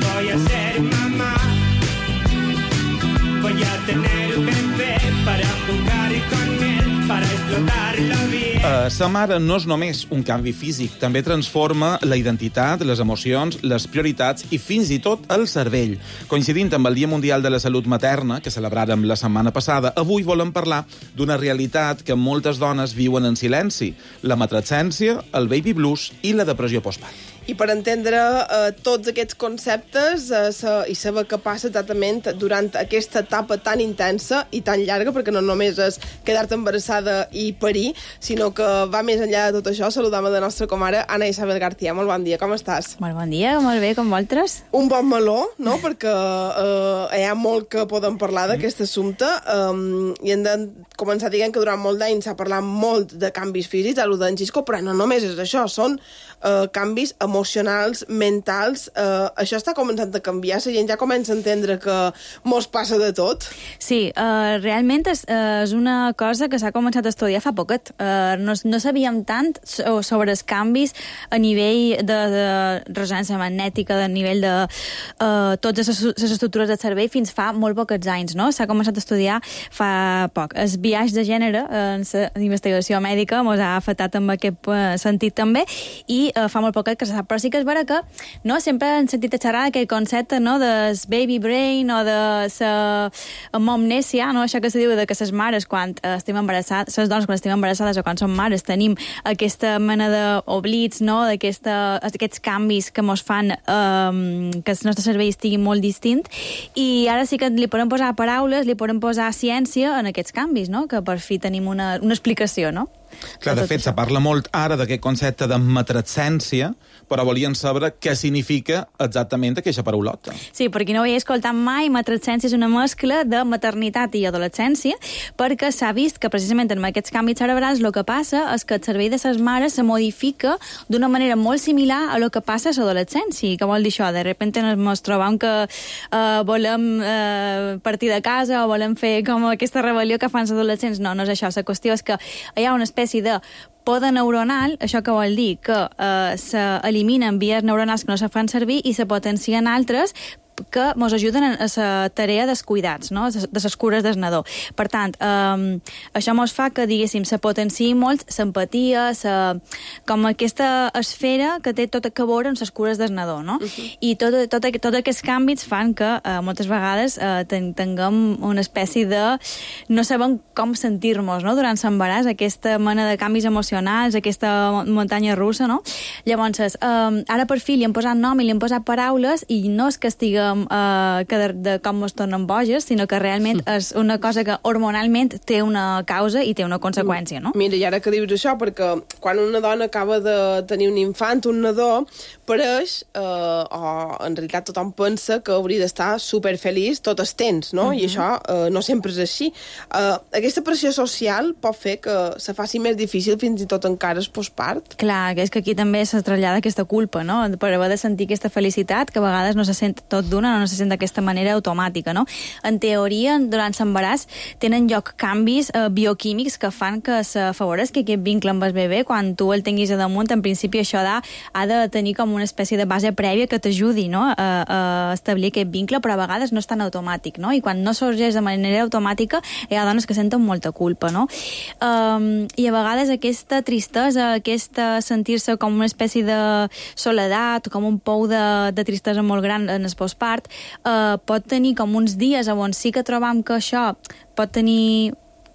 voy a ser mamá. Voy a tener un bebé para jugar con él, para explotarlo bien. Uh, sa mare no és només un canvi físic, també transforma la identitat, les emocions, les prioritats i fins i tot el cervell. Coincidint amb el Dia Mundial de la Salut Materna, que celebràrem la setmana passada, avui volem parlar d'una realitat que moltes dones viuen en silenci: la matrescència, el baby blues i la depressió postpart. I per entendre eh, tots aquests conceptes eh, sa, i saber què passa exactament durant aquesta etapa tan intensa i tan llarga, perquè no només és quedar-te embarassada i parir, sinó que va més enllà de tot això, saludam a la nostra comare Ana Isabel García. Molt bon dia, com estàs? Molt bon dia, molt bé, com vosaltres? Un bon meló, no?, perquè eh, hi ha molt que podem parlar d'aquest assumpte eh, i hem de començar dient que durant molt d'anys s'ha parlat molt de canvis físics, a lo d'en Xisco, però no només és això, són eh, canvis emocionals, mentals. Eh, això està començant a canviar, la gent ja comença a entendre que mos passa de tot. Sí, uh, realment és, uh, és una cosa que s'ha començat a estudiar fa poquet. Uh, no, no sabíem tant sobre els canvis a nivell de, de ressonància magnètica, de nivell de uh, totes les, les estructures del cervell fins fa molt pocs anys, no? S'ha començat a estudiar fa poc. El biaix de gènere en la investigació mèdica ens ha afectat en aquest uh, sentit també, i uh, fa molt poc que se sap, però sí que és vera que no, sempre hem sentit a xerrar d'aquell concepte, no, del baby brain o de la momnèsia, no, això que se diu de que les mares quan estem embarassades, les dones quan estem embarassades o quan som mares tenim aquesta mena d'oblits, no, d'aquests canvis que mos fan um, que el nostre cervell estigui molt distint, i ara sí que li podem posar paraules, li podem posar ciència en aquests canvis, no, que per fi tenim una, una explicació, no? Clar, de fet, se parla molt ara d'aquest concepte de matrescència, però volien saber què significa exactament aquesta paraulota. Sí, per qui no ho havia escoltat mai, matrescència és una mescla de maternitat i adolescència, perquè s'ha vist que precisament en aquests canvis cerebrals el que passa és que el cervell de les mares se modifica d'una manera molt similar a el que passa a l'adolescència. Què vol dir això? De repente ens trobam que eh, volem eh, partir de casa o volem fer com aquesta rebel·lió que fan els adolescents. No, no és això. La qüestió és que hi ha una espècie de poda neuronal, això que vol dir que eh, s'eliminen vies neuronals que no se fan servir i se potencien altres que ens ajuden a la tarea dels cuidats, no? de les cures del nadó. Per tant, eh, això ens fa que, diguéssim, se potenciï molt l'empatia, com aquesta esfera que té tot a veure amb les cures del nadó, no? Uh-huh. I tots tot, tot, tot aquests canvis fan que eh, moltes vegades eh, ten, tinguem una espècie de... no sabem com sentir-nos, no?, durant l'embaràs, aquesta mena de canvis emocionals, aquesta muntanya russa, no? Llavors, eh, ara per fi li hem posat nom i li hem posat paraules i no és que estiguem eh, que de, de com ens tornem boges, sinó que realment és una cosa que hormonalment té una causa i té una conseqüència, no? Mira, i ara que dius això, perquè quan una dona acaba de tenir un infant, un nadó, pareix, eh, o en realitat tothom pensa que hauria d'estar superfeliç tot el temps, no? Uh-huh. I això eh, no sempre és així. Eh, aquesta pressió social pot fer que se faci més difícil fins i tot encara el postpart. Clar, que és que aquí també se trasllada aquesta culpa, no?, per haver de sentir aquesta felicitat, que a vegades no se sent tot d'una, no se sent d'aquesta manera automàtica, no? En teoria, durant l'embaràs tenen lloc canvis eh, bioquímics que fan que s'afavoreixi aquest vincle amb el bebè. Quan tu el tinguis a damunt, en principi això ha de, ha de tenir com una espècie de base prèvia que t'ajudi, no?, a, a establir aquest vincle, però a vegades no és tan automàtic, no? I quan no sorgeix de manera automàtica hi ha dones que senten molta culpa, no? Um, I a vegades aquesta tristesa, aquesta sentir-se com una espècie de soledat, com un pou de, de tristesa molt gran en el postpart, uh, pot tenir com uns dies on sí que trobam que això pot tenir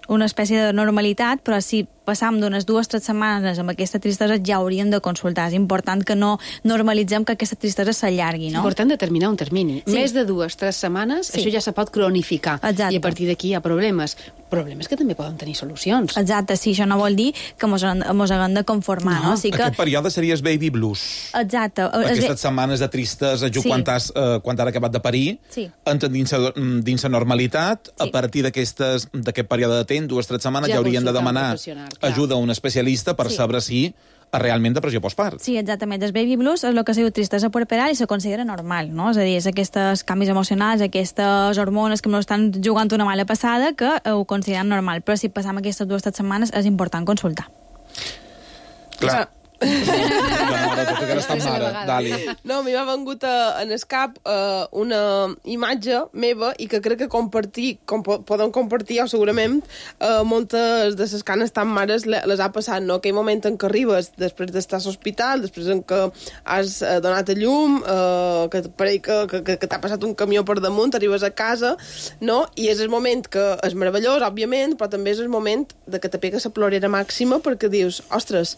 una espècie de normalitat, però si passam d'unes dues o tres setmanes amb aquesta tristesa ja hauríem de consultar. És important que no normalitzem que aquesta tristesa s'allargui, no? Important determinar un termini. Sí. Més de dues o tres setmanes, sí, això ja se pot cronificar. Exacte. I a partir d'aquí hi ha problemes. Problemes que també poden tenir solucions. Exacte, sí, això no vol dir que mos, mos haguem de conformar, no? no? Sí que... Aquest període seria el baby blues. Exacte. Aquestes setmanes de tristesa, just sí, quan t'has eh, quan t'has acabat de parir, sí, entren dins, dins la normalitat, sí, a partir d'aquest període de temps, dues o tres setmanes, ja, ja haurien de demanar ajuda a un especialista per sí, saber si realment depressió postpart. Sí, exactament. El baby blues és el que s'ha dit tristesa puerperal i se considera normal, no? És a dir, és aquests canvis emocionals, aquestes hormones que ens estan jugant una mala passada que ho consideren normal. Però si passam aquestes dues o tres setmanes és important consultar. Clar. Dali. No, m'hi va vengut a, en el cap uh, una imatge meva i que crec que compartir, com po podem compartir, o segurament uh, moltes de les canes tan mares les ha passat, no? Aquell moment en què arribes després d'estar a l'hospital, després en què has uh, donat a llum, uh, que pareix que, que, que, que t'ha passat un camió per damunt, arribes a casa, no? I és el moment que és meravellós, òbviament, però també és el moment de que te pega la plorera màxima perquè dius, ostres,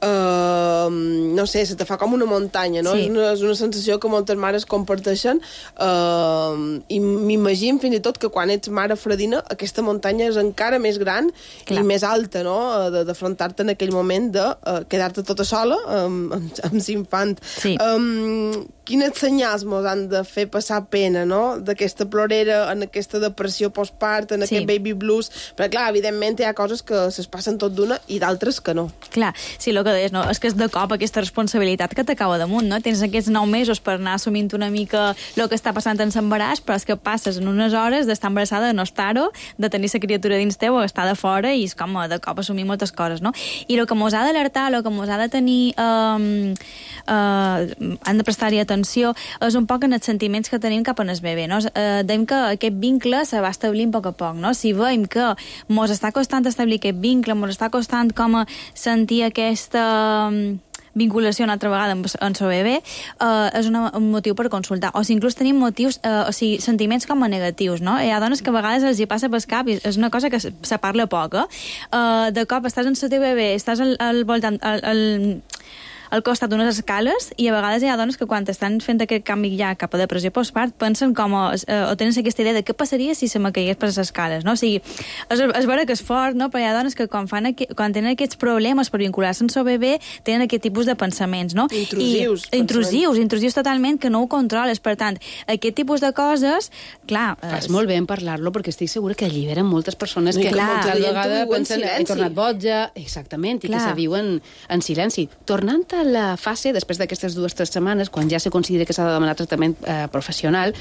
Uh, no sé, se te fa com una muntanya, no? Sí. És, una, és una sensació que moltes mares comparteixen uh, i m'imagino fins i tot que quan ets mare fredina aquesta muntanya és encara més gran, clar, i més alta, no? D'afrontar-te en aquell moment de uh, quedar-te tota sola amb, amb, amb l'infant. Sí. Um, quines senyals mos han de fer passar pena, no? D'aquesta plorera, en aquesta depressió postpart, en sí, aquest baby blues, però clar, evidentment hi ha coses que es passen tot d'una i d'altres que no. Clar, sí, el que deies, no? És que és de cop aquesta responsabilitat que t'acaba damunt, no? Tens aquests nou mesos per anar assumint una mica el que està passant en l'embaràs, però és que passes en unes hores d'estar embarassada, de no estar-ho, de tenir la criatura dins teu o estar de fora, i és com de cop assumir moltes coses, no? I el que mos ha d'alertar, el que mos ha de tenir eh, eh, han de prestar-hi atenció, és un poc en els sentiments que tenim cap en el bebè, no? Eh, deim que aquest vincle se va establint a poc a poc, no? Si veiem que mos està costant establir aquest vincle, mos està costant com a sentir aquesta vinculació una altra vegada amb el seu bebè, eh, és una, un motiu per consultar. O si inclús tenim motius, eh, o sigui, sentiments com a negatius, no? Hi ha dones que a vegades els hi passa pel cap i és una cosa que se, se parla poc, eh? Uh, de cop estàs en el teu bebè, estàs al, al voltant... Al, al, al costat d'unes escales, i a vegades hi ha dones que quan estan fent aquest canvi ja cap a depressió postpart pensen com a, eh, o tenen aquesta idea de què passaria si se me caigués per les escales, no? O sigui, és, és vera que és fort, no? Però hi ha dones que quan, fan aqu quan tenen aquests problemes per vincular-se amb el bebè tenen aquest tipus de pensaments, no? Intrusius. I, intrusius, intrusius totalment, que no ho controles. Per tant, aquest tipus de coses, clar... Fas és... molt bé en parlar-lo, perquè estic segura que alliberen moltes persones no, que clar, tal vegada pensen he tornat boja, exactament, i clar, que se viuen en silenci. Tornant a la fase, després d'aquestes dues o tres setmanes, quan ja se considera que s'ha de demanar tractament eh, professional,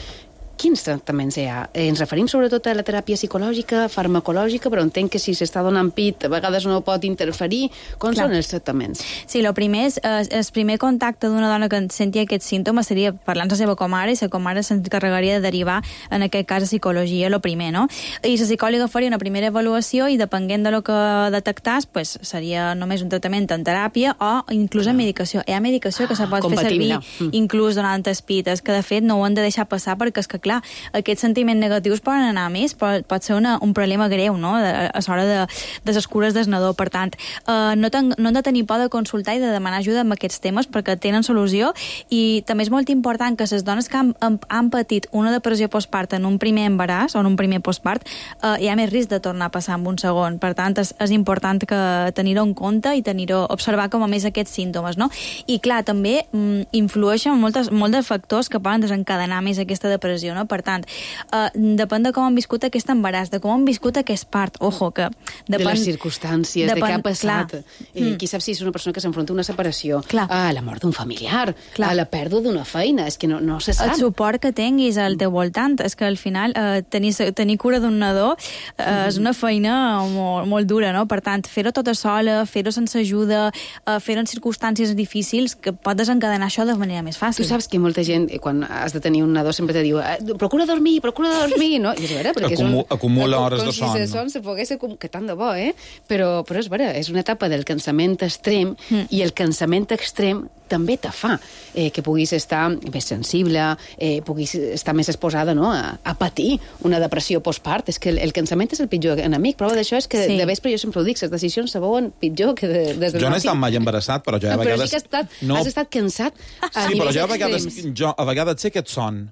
quins tractaments hi ha? Eh, ens referim sobretot a la teràpia psicològica, farmacològica, però entenc que si s'està donant pit a vegades no pot interferir. Com Clar. són els tractaments? Sí, el primer és, eh, el primer contacte d'una dona que sentia aquests símptomes seria parlar amb la seva comare, i la comare s'encarregaria de derivar, en aquest cas, a psicologia, el primer, no? I la psicòloga faria una primera avaluació i, depenent de lo que detectàs, pues, seria només un tractament en teràpia o inclús en medicació. Hi ha medicació que se pot fer servir mm. inclús durant els pites, que de fet no ho han de deixar passar perquè és que, clar, aquests sentiments negatius poden anar a més, però pot ser una, un problema greu, no?, a l'hora de, de les cures del nadó. Per tant, eh, no, ten, no han de tenir por de consultar i de demanar ajuda en aquests temes perquè tenen solució, i també és molt important que les dones que han, han, han patit una depressió postpart en un primer embaràs o en un primer postpart, eh, hi ha més risc de tornar a passar en un segon. Per tant, és, és important que tenir-ho en compte i tenir-ho, observar com a més aquests símptomes, no? I clar, també mm, influeixen moltes, molts de factors que poden desencadenar més aquesta depressió, no? Per tant, eh, depèn de com han viscut aquest embaràs, de com han viscut aquest part, ojo, que depèn... De les circumstàncies, depèn, de què ha passat. Eh, mm. Qui sap si és una persona que s'enfronta a una separació, clar. a la mort d'un familiar, clar. a la pèrdua d'una feina, és que no, no se sap. El suport que tinguis al teu voltant, és que al final eh, tenir, tenir cura d'un nadó eh, mm. és una feina molt, molt dura, no? Per tant, fer-ho tota sola, fer-ho sense ajuda, eh, fer-ho en circumstàncies difícils, que pot desencadenar això de manera més fàcil. Tu saps que molta gent, quan has de tenir un nadó, sempre te diu procura dormir, procura dormir, no? I és vera, perquè Acumu, és un, acumula hores de son. Com si de son se pogués acumular, que tant de bo, eh? Però, però és vera, és una etapa del cansament extrem, mm. i el cansament extrem també te fa eh, que puguis estar més sensible, eh, puguis estar més exposada, no?, a, a patir una depressió postpart. És que el, el cansament és el pitjor enemic. Prova d'això és que sí. de vespre jo sempre ho dic, les decisions se veuen pitjor que de, des del Jo no he estat mai embarassat, però jo a no, vegades... Però sí que has estat, no. has estat cansat a sí, nivells però jo a vegades, extrems. jo a vegades sé aquest son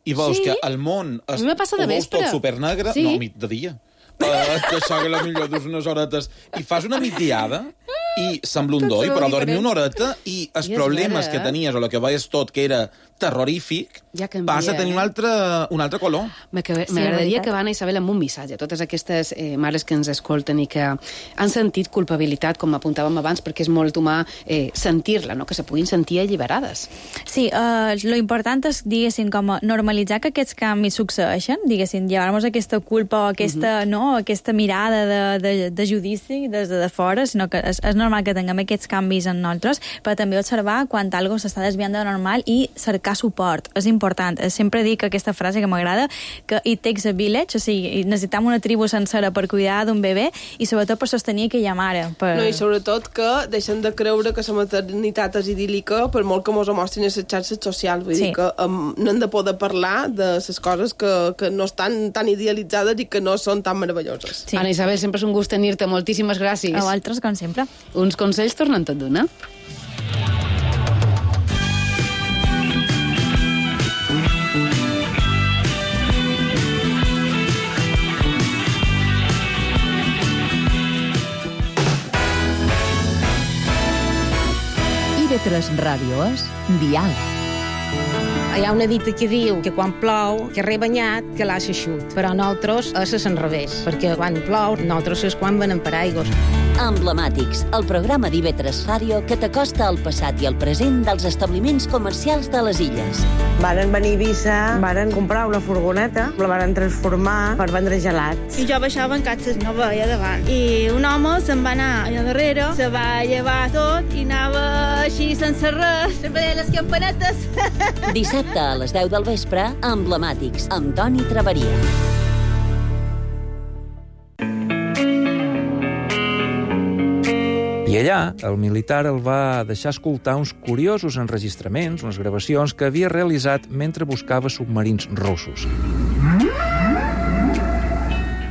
i veus Sí? que el món es, A mi me passa de ho veus vespre. tot supernegre, Sí? no, mit de dia. Uh, que això que la millor dus unes horetes i fas una migdiada i sembla un doi, però dormir una horeta i els I és problemes vera, que eh? tenies o el que veies tot, que era terrorífic, ja canvia, passa a tenir eh? un altre, un altre color. M'agradaria sí, que van, Isabel, amb un missatge a totes aquestes eh, mares que ens escolten i que han sentit culpabilitat, com apuntàvem abans, perquè és molt humà eh, sentir-la, no? Que se puguin sentir alliberades. Sí, eh, lo important és, diguéssim, com a normalitzar que aquests canvis succeeixen, diguéssim, llevar-nos aquesta culpa o aquesta, uh -huh. no, aquesta mirada de, de, de judici des de, de fora, sinó que és, és normal que tinguem aquests canvis en nosaltres, però també observar quan algo s'està desviant de normal i cercar suport. És important. Sempre dic aquesta frase que m'agrada, que it takes a village, o sigui, necessitem una tribu sencera per cuidar d'un bebè i sobretot per sostenir aquella mare. Per... No, i sobretot que deixem de creure que la maternitat és idíl·lica per molt que mos ho mostrin a les xarxes socials. Vull sí. dir que um, no hem de poder parlar de les coses que, que no estan tan idealitzades i que no són tan meravelloses. Sí. Anna Isabel, sempre és un gust tenir-te. Moltíssimes gràcies. A vosaltres, com sempre. Uns consells tornen tot d'una. I de tres Ràdio és Dial. Hi ha una dita que diu que quan plou, que rebanyat, que l'ha eixut. Però nosaltres és al revés, perquè quan plou, nosaltres és quan venem per aigües. Emblemàtics, el programa d'I V tres Ràdio que t'acosta al passat i al present dels establiments comercials de les illes. Varen venir a Eivissa, varen comprar una furgoneta, la varen transformar per vendre gelats. I jo baixava en catxes, no veia davant. I un home se'n va anar allà darrere, se va llevar tot i anava així sense res, sempre deia les campanetes. Dissabte a les deu del vespre, Emblemàtics, amb Toni Traveria. I allà, el militar el va deixar escoltar uns curiosos enregistraments, unes gravacions que havia realitzat mentre buscava submarins russos.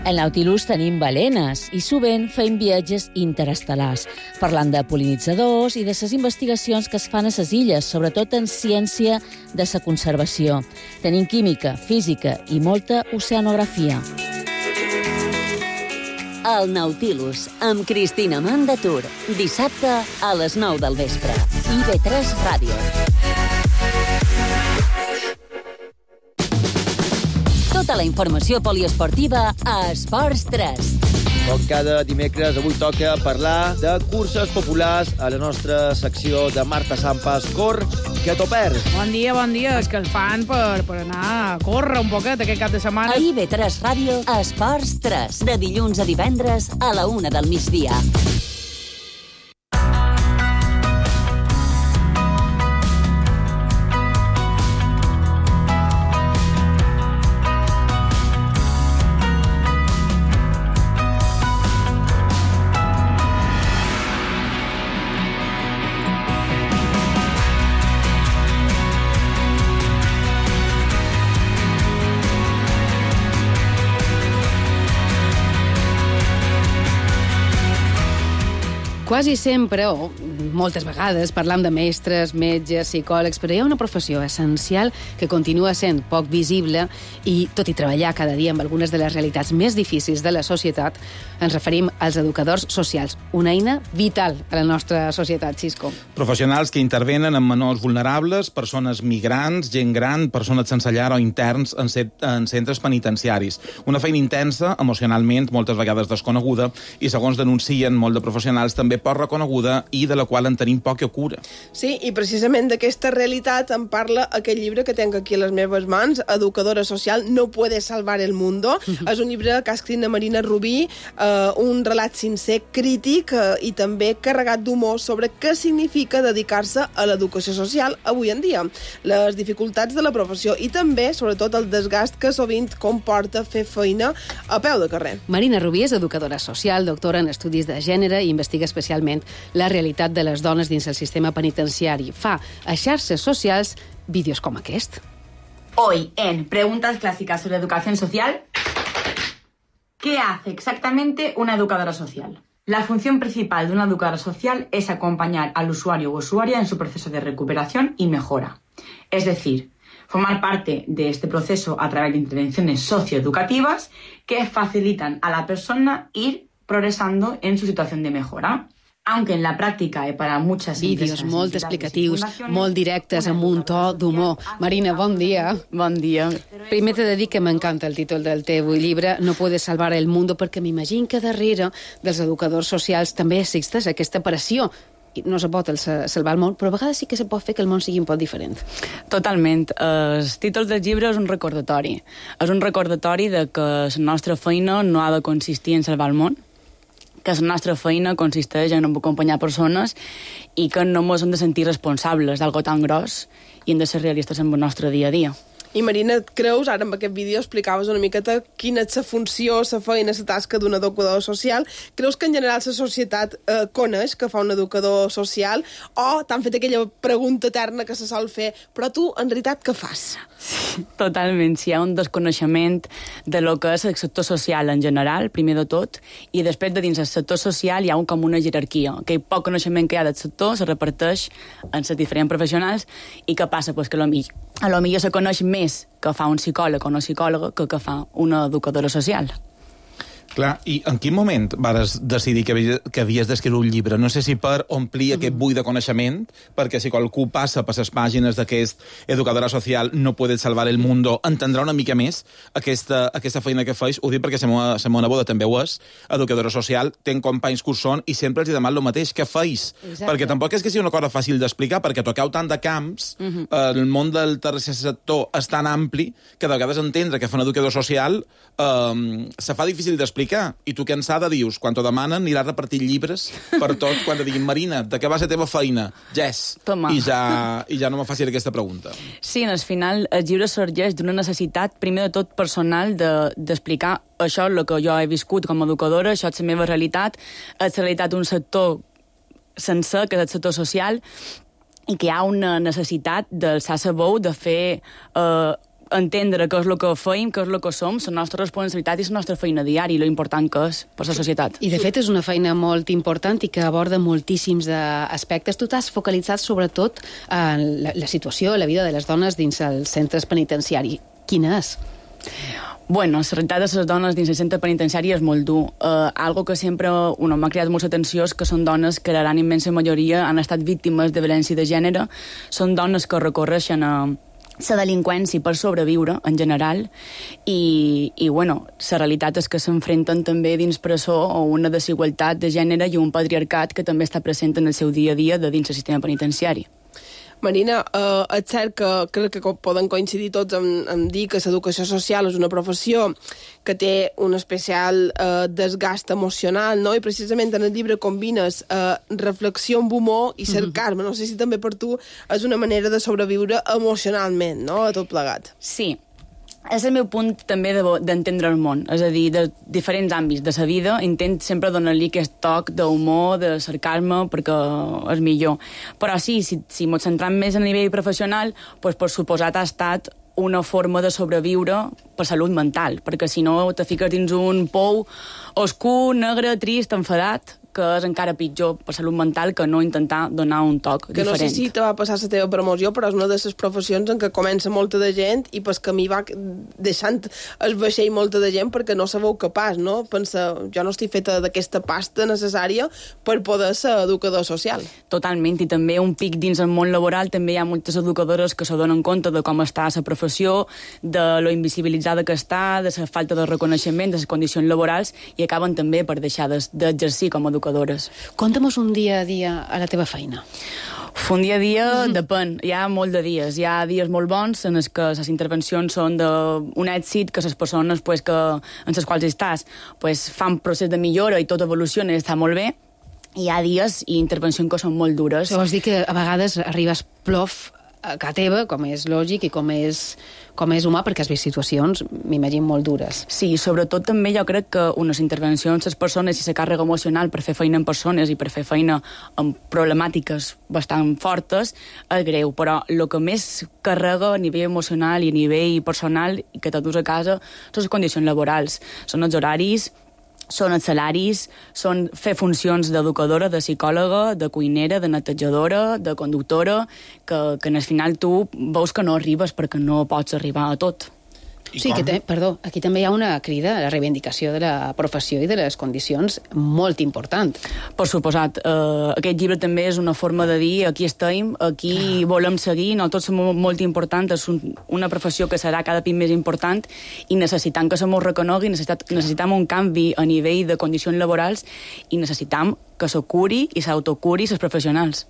Al Nautilus tenim balenes i sovint fem viatges interestel·lars, parlant de pol·linitzadors i de les investigacions que es fan a les illes, sobretot en ciència de la conservació. Tenim química, física i molta oceanografia. El Nautilus, amb Cristina Mandatur, dissabte a les nou del vespre. I V tres Ràdio. Tota la informació poliesportiva a Esports tres. Com cada dimecres, avui toca parlar de curses populars a la nostra secció de Marta Sampas. Cor, que t'ho perds. Bon dia, bon dia. És que el fan per, per anar a córrer un poquet aquest cap de setmana. A I B tres Ràdio, Esports tres, de dilluns a divendres a la una del migdia. Quasi sempre, o moltes vegades, parlam de mestres, metges, psicòlegs, però hi ha una professió essencial que continua sent poc visible i, tot i treballar cada dia amb algunes de les realitats més difícils de la societat, ens referim als educadors socials, una eina vital a la nostra societat, Xisco. Professionals que intervenen amb menors vulnerables, persones migrants, gent gran, persones sense llar o interns en, en centres penitenciaris. Una feina intensa, emocionalment, moltes vegades desconeguda, i segons denuncien molt de professionals, també poc reconeguda i de la qual en tenim poca cura. Sí, i precisament d'aquesta realitat en parla aquest llibre que tenc aquí a les meves mans, Educadora Social, no puede salvar el mundo. Uh-huh. És un llibre que ha escrit la Marina Rubí, eh, un relat sincer, crític eh, i també carregat d'humor sobre què significa dedicar-se a l'educació social avui en dia, les dificultats de la professió i també, sobretot, el desgast que sovint comporta fer feina a peu de carrer. Marina Rubí és educadora social, doctora en estudis de gènere i investiga especialment la realitat de les dones dins el sistema penitenciari. Fa a xarxes socials vídeos com aquest. Hoy, en Preguntas Clásicas sobre Educación Social, ¿qué hace exactamente una educadora social? La función principal de una educadora social es acompañar al usuario o usuaria en su proceso de recuperación y mejora. Es decir, formar parte de este proceso a través de intervenciones socioeducativas que facilitan a la persona ir progresando en su situación de mejora. Aunque en la pràctica i per a moltes vídeos molt explicatius, molt directes, amb un to d'humor. Marina, bon dia. Bon dia. Primer t'he de dir que m'encanta el títol del teu llibre, No puedes salvar el mundo, perquè m'imagino que darrere dels educadors socials també existeix aquesta pressió. No se pot salvar el món, però a vegades sí que se pot fer que el món sigui un poc diferent. Totalment. El títol del llibre és un recordatori. És un recordatori de que la nostra feina no ha de consistir en salvar el món, que la nostra feina consisteix en acompanyar persones i que no ens hem de sentir responsables d'algo tan gros i hem de ser realistes en el nostre dia a dia. I Marina, et creus, ara amb aquest vídeo explicaves una miqueta quina és la funció, la feina, la tasca d'un educador social. Creus que en general la societat eh, coneix que fa un educador social o t'han fet aquella pregunta eterna que se sol fer, però tu, en realitat, què fas? Sí, totalment. Si hi ha un desconeixement de lo que és el sector social en general, primer de tot, i després de dins el sector social hi ha un, com una jerarquia. Aquell poc coneixement que hi ha del sector se reparteix en les diferents professionals i què passa? Pues que a lo millor, a lo millor se coneix més que fa un psicòleg o una psicòloga que que fa una educadora social. Clar, i en quin moment vares decidir que, havies, que havies d'escriure un llibre? No sé si per omplir mm-hmm. aquest buit de coneixement, perquè si qualcú passa per les pàgines d'aquest educadora social no puede salvar el mundo, entendrà una mica més aquesta, aquesta feina que feis. Ho dic perquè la meva neboda també ho és, educadora social, ten companys que ho són i sempre els deman el mateix, què feis? Exacte. Perquè tampoc és que sigui una cosa fàcil d'explicar, perquè toqueu tant de camps, mm-hmm. el món del tercer sector és tan ampli que de vegades entendre que fa un educador social eh, se fa difícil d'explicar. I tu cansada dius, quan t'ho demanen, aniràs repartint llibres per tot, quan te diguin, Marina, de què va ser teva feina? Yes. Toma. I ja, i ja no me faci aquesta pregunta. Sí, al final el llibre sorgeix d'una necessitat, primer de tot personal, d'explicar de, això, el que jo he viscut com a educadora, això és la meva realitat, és la realitat d'un sector sencer, que és el sector social, i que hi ha una necessitat d'alçar la veu, de fer... Eh, entendre què és el que feim, què és el que som, la nostra responsabilitat i la nostra feina diària, i lo important que és per la societat. I, de fet, és una feina molt important i que aborda moltíssims aspectes. Tu t'has focalitzat, sobretot, en la, la situació, la vida de les dones dins els centres penitenciaris. Quina és? Bueno, la realitat de les dones dins el centre penitenciari és molt dur. Uh, algo que sempre bueno, m'ha creat molta atenció és que són dones que la gran immensa majoria han estat víctimes de violència de gènere, són dones que recorreixen a la delinqüència per sobreviure, en general, i, i bueno, la realitat és que s'enfrenten també dins presó a una desigualtat de gènere i un patriarcat que també està present en el seu dia a dia de dins el sistema penitenciari. Marina, eh, és cert que crec que poden coincidir tots en, en dir que l'educació social és una professió que té un especial eh, desgast emocional, no? I precisament en el llibre combines eh, reflexió amb humor i cercar-me. No sé si també per tu és una manera de sobreviure emocionalment, no?, a tot plegat. Sí. És el meu punt també d'entendre el món, és a dir, de diferents àmbits de la vida, intent sempre donar-li aquest toc d'humor, de cercar-me, perquè és millor. Però sí, si, si m'ho centram més a nivell professional, doncs per suposat ha estat una forma de sobreviure per salut mental, perquè si no te fiques dins un pou oscur, negre, trist, enfadat, que és encara pitjor per salut mental que no intentar donar un toc que diferent. No sé si te va passar la teva promoció, però és una de les professions en què comença molta de gent i pel camí va deixant el vaixell molta de gent perquè no se veu capaç, no? Pensa, jo no estic feta d'aquesta pasta necessària per poder ser educador social. Totalment, i també un pic dins el món laboral, també hi ha moltes educadores que se donen compte de com està la professió, de lo invisibilitzada que està, de la falta de reconeixement, de les condicions laborals, i acaben també per deixar d'exercir com a educadores. Conta'm un dia a dia a la teva feina. Un dia a dia mm-hmm. depèn. Hi ha molt de dies. Hi ha dies molt bons en els que les intervencions són d'un èxit, que les persones pues, que, en les quals estàs pues, fan procés de millora i tot evoluciona i està molt bé. Hi ha dies i intervencions que són molt dures. Això vols dir que a vegades arribes plof a casa teva, com és lògic i com és, com és humà, perquè has vist situacions, m'imagino, molt dures. Sí, sobretot també jo crec que unes intervencions, les persones i la càrrega emocional per fer feina amb persones i per fer feina amb problemàtiques bastant fortes és greu, però el que més carrega a nivell emocional i a nivell personal i que te dus a casa són les condicions laborals, són els horaris, són els salaris, són fer funcions d'educadora, de psicòloga, de cuinera, de netejadora, de conductora, que, que al final tu veus que no arribes perquè no pots arribar a tot. Sí, que te, perdó, aquí també hi ha una crida a la reivindicació de la professió i de les condicions molt important. Per suposat, eh, aquest llibre també és una forma de dir aquí estem, aquí ah. volem seguir, nosaltres som molt importants, és un, una professió que serà cada cop més important i necessitam que se mos reconegui, necessitam un canvi a nivell de condicions laborals i necessitam que se curi i s'autocuri els professionals.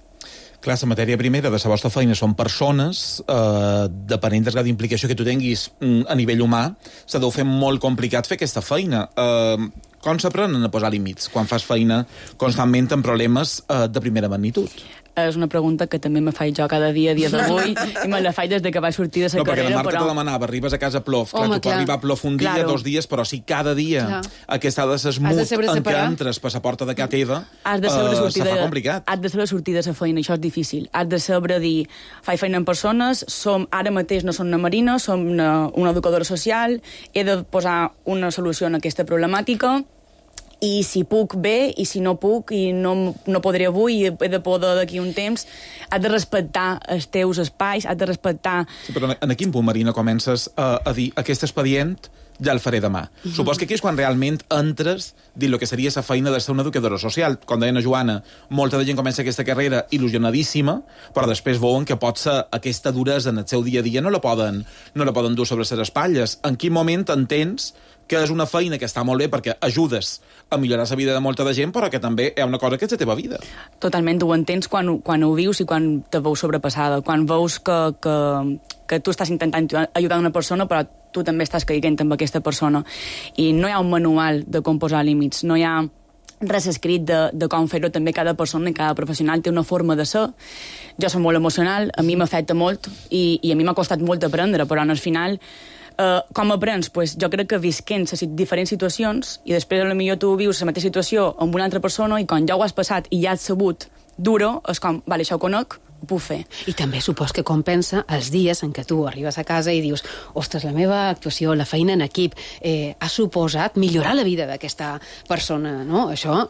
Clar, la matèria primera de la vostra feina són persones, eh, depenent del grau d'implicació que tu tinguis a nivell humà, se deu fer molt complicat fer aquesta feina. Eh, com s'aprenen a posar límits quan fas feina constantment amb problemes eh, de primera magnitud? És una pregunta que també me faig jo cada dia, dia d'avui, i me la faig des de que vaig sortir de la no, carrera. No, perquè la Marta però... te demanava, arribes a casa plof, clar, Home, tu pots arribar a plof un dia, claro. dos dies, però si cada dia clar. Aquesta ha de ser smooth en què entres per la porta de casa teva, has de saber uh, se fa complicat. Has de saber sortir de la feina, això és difícil. Has de saber dir, faig feina amb persones, som, ara mateix no som una marina, som una, una educadora social, he de posar una solució a aquesta problemàtica, i si puc bé, i si no puc, i no, no podré avui, i he de poder d'aquí un temps, has de respectar els teus espais, has de respectar... Sí, però en quin punt, Marina, comences a, a dir aquest expedient ja el faré demà? Mm-hmm. Supos que aquí és quan realment entres dins el que seria la feina de ser una educadora social. Com deia la Joana, molta de gent comença aquesta carrera il·lusionadíssima, però després veuen que pot ser aquesta duresa en el seu dia a dia no la poden, no la poden dur sobre les espatlles. En quin moment entens que és una feina que està molt bé perquè ajudes a millorar la vida de molta de gent, però que també hi ha una cosa que és la teva vida? Totalment, ho entens quan, quan ho vius i quan te veus sobrepassada, quan veus que, que, que tu estàs intentant ajudar una persona, però tu també estàs caiguent amb aquesta persona. I no hi ha un manual de com posar límits, no hi ha res escrit de, de com fer-ho. També cada persona i cada professional té una forma de ser. Jo soc molt emocional, a mi m'afecta molt i, i a mi m'ha costat molt aprendre, però al final Uh, com aprens? Pues jo crec que visquent les diferents situacions i després potser tu vius la mateixa situació amb una altra persona i quan ja ho has passat i ja has sabut duro, és com, vale, això ho conec, ho puc fer. I també supos que compensa els dies en què tu arribes a casa i dius, ostres, la meva actuació, la feina en equip, eh, ha suposat millorar la vida d'aquesta persona, no? Això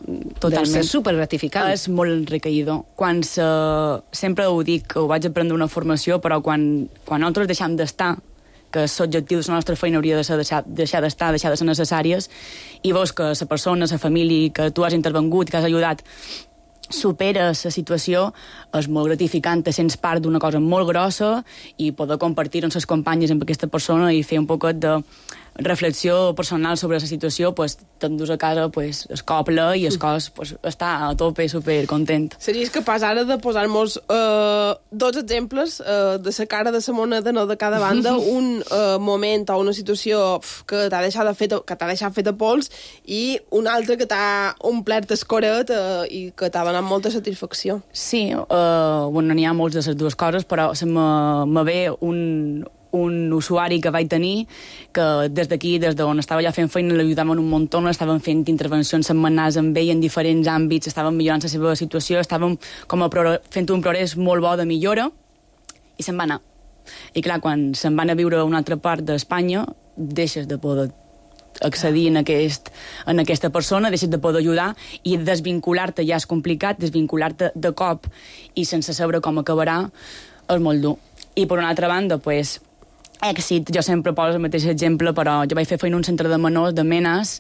deu ser supergratificant. És molt enriquidor. Quan se... Sempre ho dic, ho vaig aprendre una formació, però quan, quan nosaltres deixem d'estar, que l'objectiu de la nostra feina hauria de ser deixar, deixar d'estar, deixar de ser necessàries, i veus que la persona, la família que tu has intervengut, que has ajudat, superes la situació, és molt gratificant, te sents part d'una cosa molt grossa i poder compartir amb les companyes amb aquesta persona i fer un poquet de reflexió personal sobre la situació, pues, t'endús a casa pues, es copla i el cos pues, està a tope, super content. Series capaç ara de posar-nos uh, dos exemples uh, de la cara de la moneda, no de cada banda, un uh, moment o una situació pf, que t'ha deixat, fet, que t'ha deixat fet a pols i un altre que t'ha omplert el coret uh, i que t'ha donat molta satisfacció. Sí, uh, bueno, n'hi ha molts de les dues coses, però se me, me ve un... un usuari que vaig tenir, que des d'aquí, des d'on estava ja fent feina, l'ajudàvem un muntó, estàvem fent intervencions setmanals amb ell en diferents àmbits, estàvem millorant la seva situació, estàvem com a fent un progrés molt bo de millora, i se'n va anar. I clar, quan se'n van a viure a una altra part d'Espanya, deixes de poder accedir en, aquest, en aquesta persona, deixes de poder ajudar, i desvincular-te ja és complicat, desvincular-te de cop i sense saber com acabarà és molt dur. I per una altra banda, pues, èxit, jo sempre poso el mateix exemple, però jo vaig fer feina en un centre de menors de Menes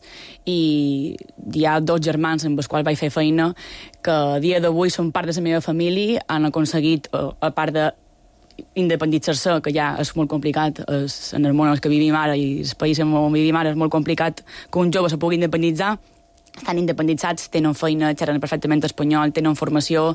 i hi ha dos germans amb els quals vaig fer feina que a dia d'avui són part de la meva família, han aconseguit, a part de independitzar-se, que ja és molt complicat, és, en el món en el que vivim ara i el país on vivim ara és molt complicat que un jove se pugui independitzar, estan independitzats, tenen feina, xerren perfectament espanyol, tenen formació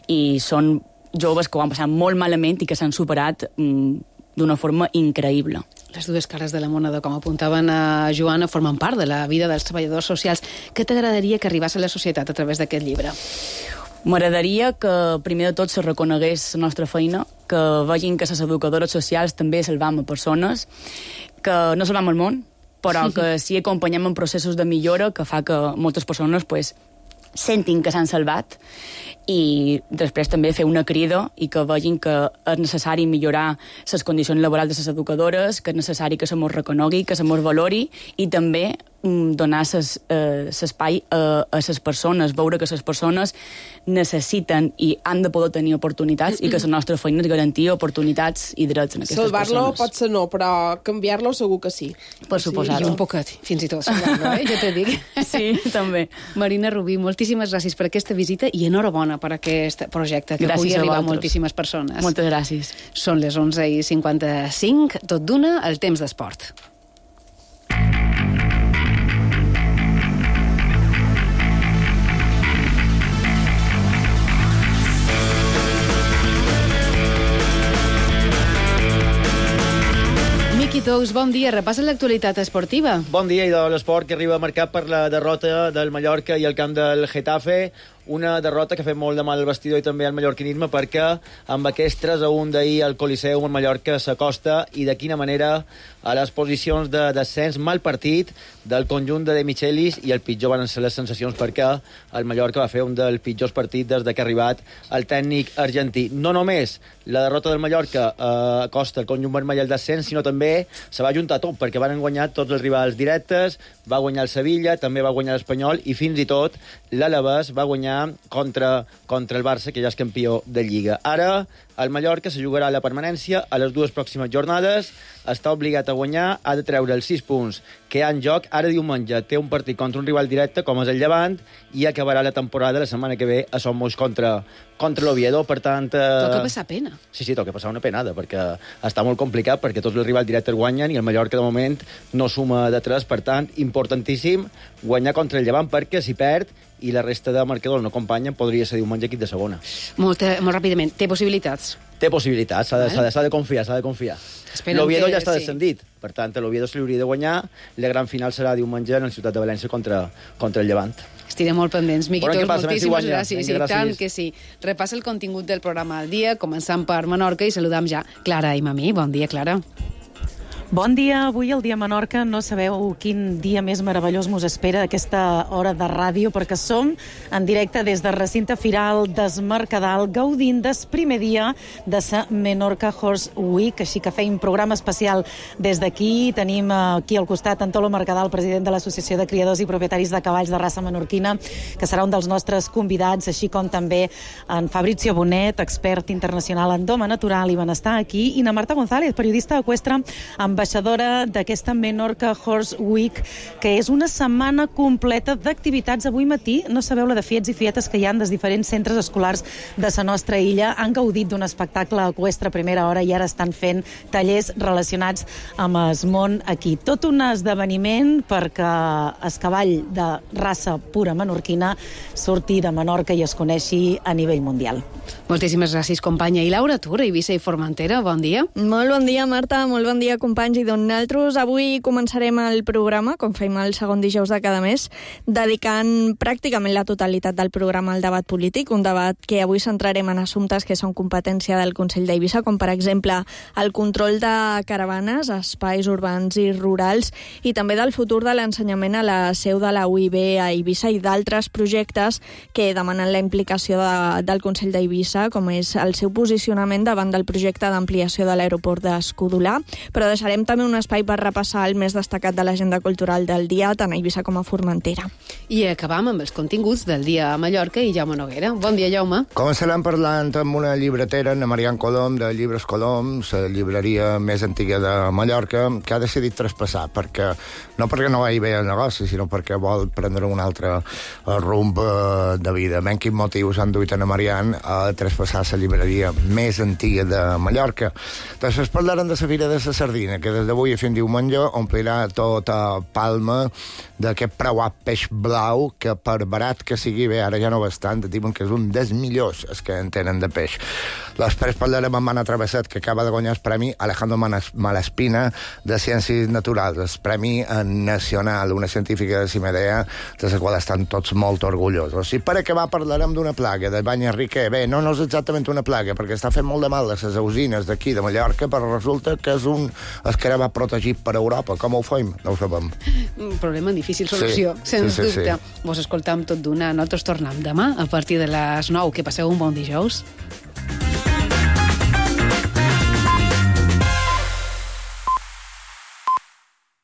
i són joves que ho han passat molt malament i que s'han superat mm, d'una forma increïble. Les dues cares de la moneda, com apuntaven a Joana, formen part de la vida dels treballadors socials. Què t'agradaria que arribés a la societat a través d'aquest llibre? M'agradaria que, primer de tot, se reconegués la nostra feina, que vegin que les educadores socials també salvam a persones, que no salvam el món, però que sí acompanyem en processos de millora que fa que moltes persones pues, sentin que s'han salvat i després també fer una crida i que vegin que és necessari millorar les condicions laborals de les educadores, que és necessari que se mos reconegui, que se mos valori i també mm, donar l'espai eh, a, a les persones, veure que les persones necessiten i han de poder tenir oportunitats i que la nostra feina és garantir oportunitats i drets en aquestes Salvar-lo persones. pot ser no, però canviar-lo segur que sí. Per suposar-ho. I un poquet, fins i tot salvar-lo, eh? Jo te dic. Sí, també. Marina Rubí, moltíssimes gràcies per aquesta visita i enhorabona per aquest projecte, que gràcies pugui arribar a, a moltíssimes persones. Moltes gràcies. Són les onze i cinquanta-cinc, tot d'una, el temps d'esport. Miqui Tous, bon dia. Repassa l'actualitat esportiva. Bon dia, i de l'esport que arriba marcat per la derrota del Mallorca i el camp del Getafe. Una derrota que ha fet molt de mal al vestidor i també al mallorquinisme, perquè amb aquest tres a un d'ahir al Coliseum el Mallorca s'acosta, i de quina manera, a les posicions de descens. Mal partit del conjunt de De Michelis, i el pitjor van ser les sensacions, perquè el Mallorca va fer un dels pitjors partits des que ha arribat el tècnic argentí. No només la derrota del Mallorca eh, acosta el conjunt vermell al descens, sinó també se va juntar tot, perquè van guanyar tots els rivals directes, va guanyar el Sevilla, també va guanyar l'Espanyol, i fins i tot l'Alavés va guanyar contra, contra el Barça, que ja és campió de Lliga. Ara el Mallorca se jugarà la permanència a les dues pròximes jornades, està obligat a guanyar, ha de treure els sis punts que hi ha en joc. Ara diumenge té un partit contra un rival directe, com és el Llevant, i acabarà la temporada la setmana que ve a Somos contra, contra l'Oviedo. Per tant... Eh... Toca passar pena. Sí, sí, toca passar una penada, perquè està molt complicat, perquè tots els rivals directes guanyen i el Mallorca, de moment, no suma de tres. Per tant, importantíssim guanyar contra el Llevant, perquè si perd i la resta de marcadors no acompanyen, podria ser diumenge equip de segona. Molt, molt ràpidament. Té possibilitats? Té possibilitats, s'ha de, eh? de, de confiar, s'ha de confiar. L'Oviedo ja està sí. descendit, per tant, l'Oviedo se li hauria de guanyar. La gran final serà diumenge en la ciutat de València contra, contra el Llevant. Estirem molt pendents. Miqui Tous, moltíssimes si gràcies. Vinga, gràcies. I tant que sí. Repassa el contingut del programa al dia, començant per Menorca, i saludam ja Clara i Mamí. Bon dia, Clara. Bon dia, avui el dia a Menorca. No sabeu quin dia més meravellós mos espera aquesta hora de ràdio, perquè som en directe des del recinte firal d'Es Mercadal, gaudint del primer dia de la Menorca Horse Week, així que feim programa especial des d'aquí. Tenim aquí al costat Antolo Mercadal, president de l'Associació de Criadors i Propietaris de Cavalls de Raça Menorquina, que serà un dels nostres convidats, així com també en Fabrizio Bonet, expert internacional en doma natural i benestar aquí, i na Marta González, periodista eqüestre amb ambaixadora d'aquesta Menorca Horse Week, que és una setmana completa d'activitats. Avui matí, no sabeu la de fiets i fietes que hi ha dels diferents centres escolars de la nostra illa. Han gaudit d'un espectacle eqüestre a primera hora i ara estan fent tallers relacionats amb el món aquí. Tot un esdeveniment perquè el cavall de raça pura menorquina surti de Menorca i es coneixi a nivell mundial. Moltíssimes gràcies, companya. I Laura Tura, Eivissa i Formentera, bon dia. Molt bon dia, Marta, molt bon dia, companys. I doncs nosaltres avui començarem el programa, com fem el segon dijous de cada mes, dedicant pràcticament la totalitat del programa al debat polític, un debat que avui centrarem en assumptes que són competència del Consell d'Eivissa, com per exemple el control de caravanes, espais urbans i rurals, i també del futur de l'ensenyament a la seu de la U I B a Eivissa i d'altres projectes que demanen la implicació de, del Consell d'Eivissa, com és el seu posicionament davant del projecte d'ampliació de l'aeroport d'Escudolà, però deixarem també un espai per repassar el més destacat de l'agenda cultural del dia, tant a Eivissa com a Formentera. I acabam amb els continguts del dia a Mallorca i Jaume Noguera. Bon dia, Jaume. Començarem parlant amb una llibretera, Ana Marian Colom, de Llibres Colom, la llibreria més antiga de Mallorca, que ha decidit traspassar, perquè, no perquè no vagi bé el negoci, sinó perquè vol prendre un altre rumb de vida. Ben quins motius han duit Ana Marian a traspassar la llibreria més antiga de Mallorca. Després parlarem de la Fira de la Sardina, que des d'avui a fin diumenge omplirà tota Palma d'aquest preuat peix blau, que per barat que sigui bé, ara ja no bastant, diuen que és un dels millors els que en tenen de peix. Després parlarem amb Anna Travesset, que acaba de guanyar el Premi Alejandro Malaspina de Ciències Naturals, el Premi Nacional, una científica de Cimedea, de la qual estan tots molt orgullosos. I per acabar parlarem d'una plaga, del bany Enriquer. Bé, no, no és exactament una plaga, perquè està fent molt de mal a les usines d'aquí de Mallorca, però resulta que és un escarabat protegit per Europa. Com ho fem? No ho sabem. Un problema difícil solució, sí, sens sí, sí, dubte. sí. Vos escoltam tot d'una. Nosaltres tornem demà a partir de les nou. Que passeu un bon dijous.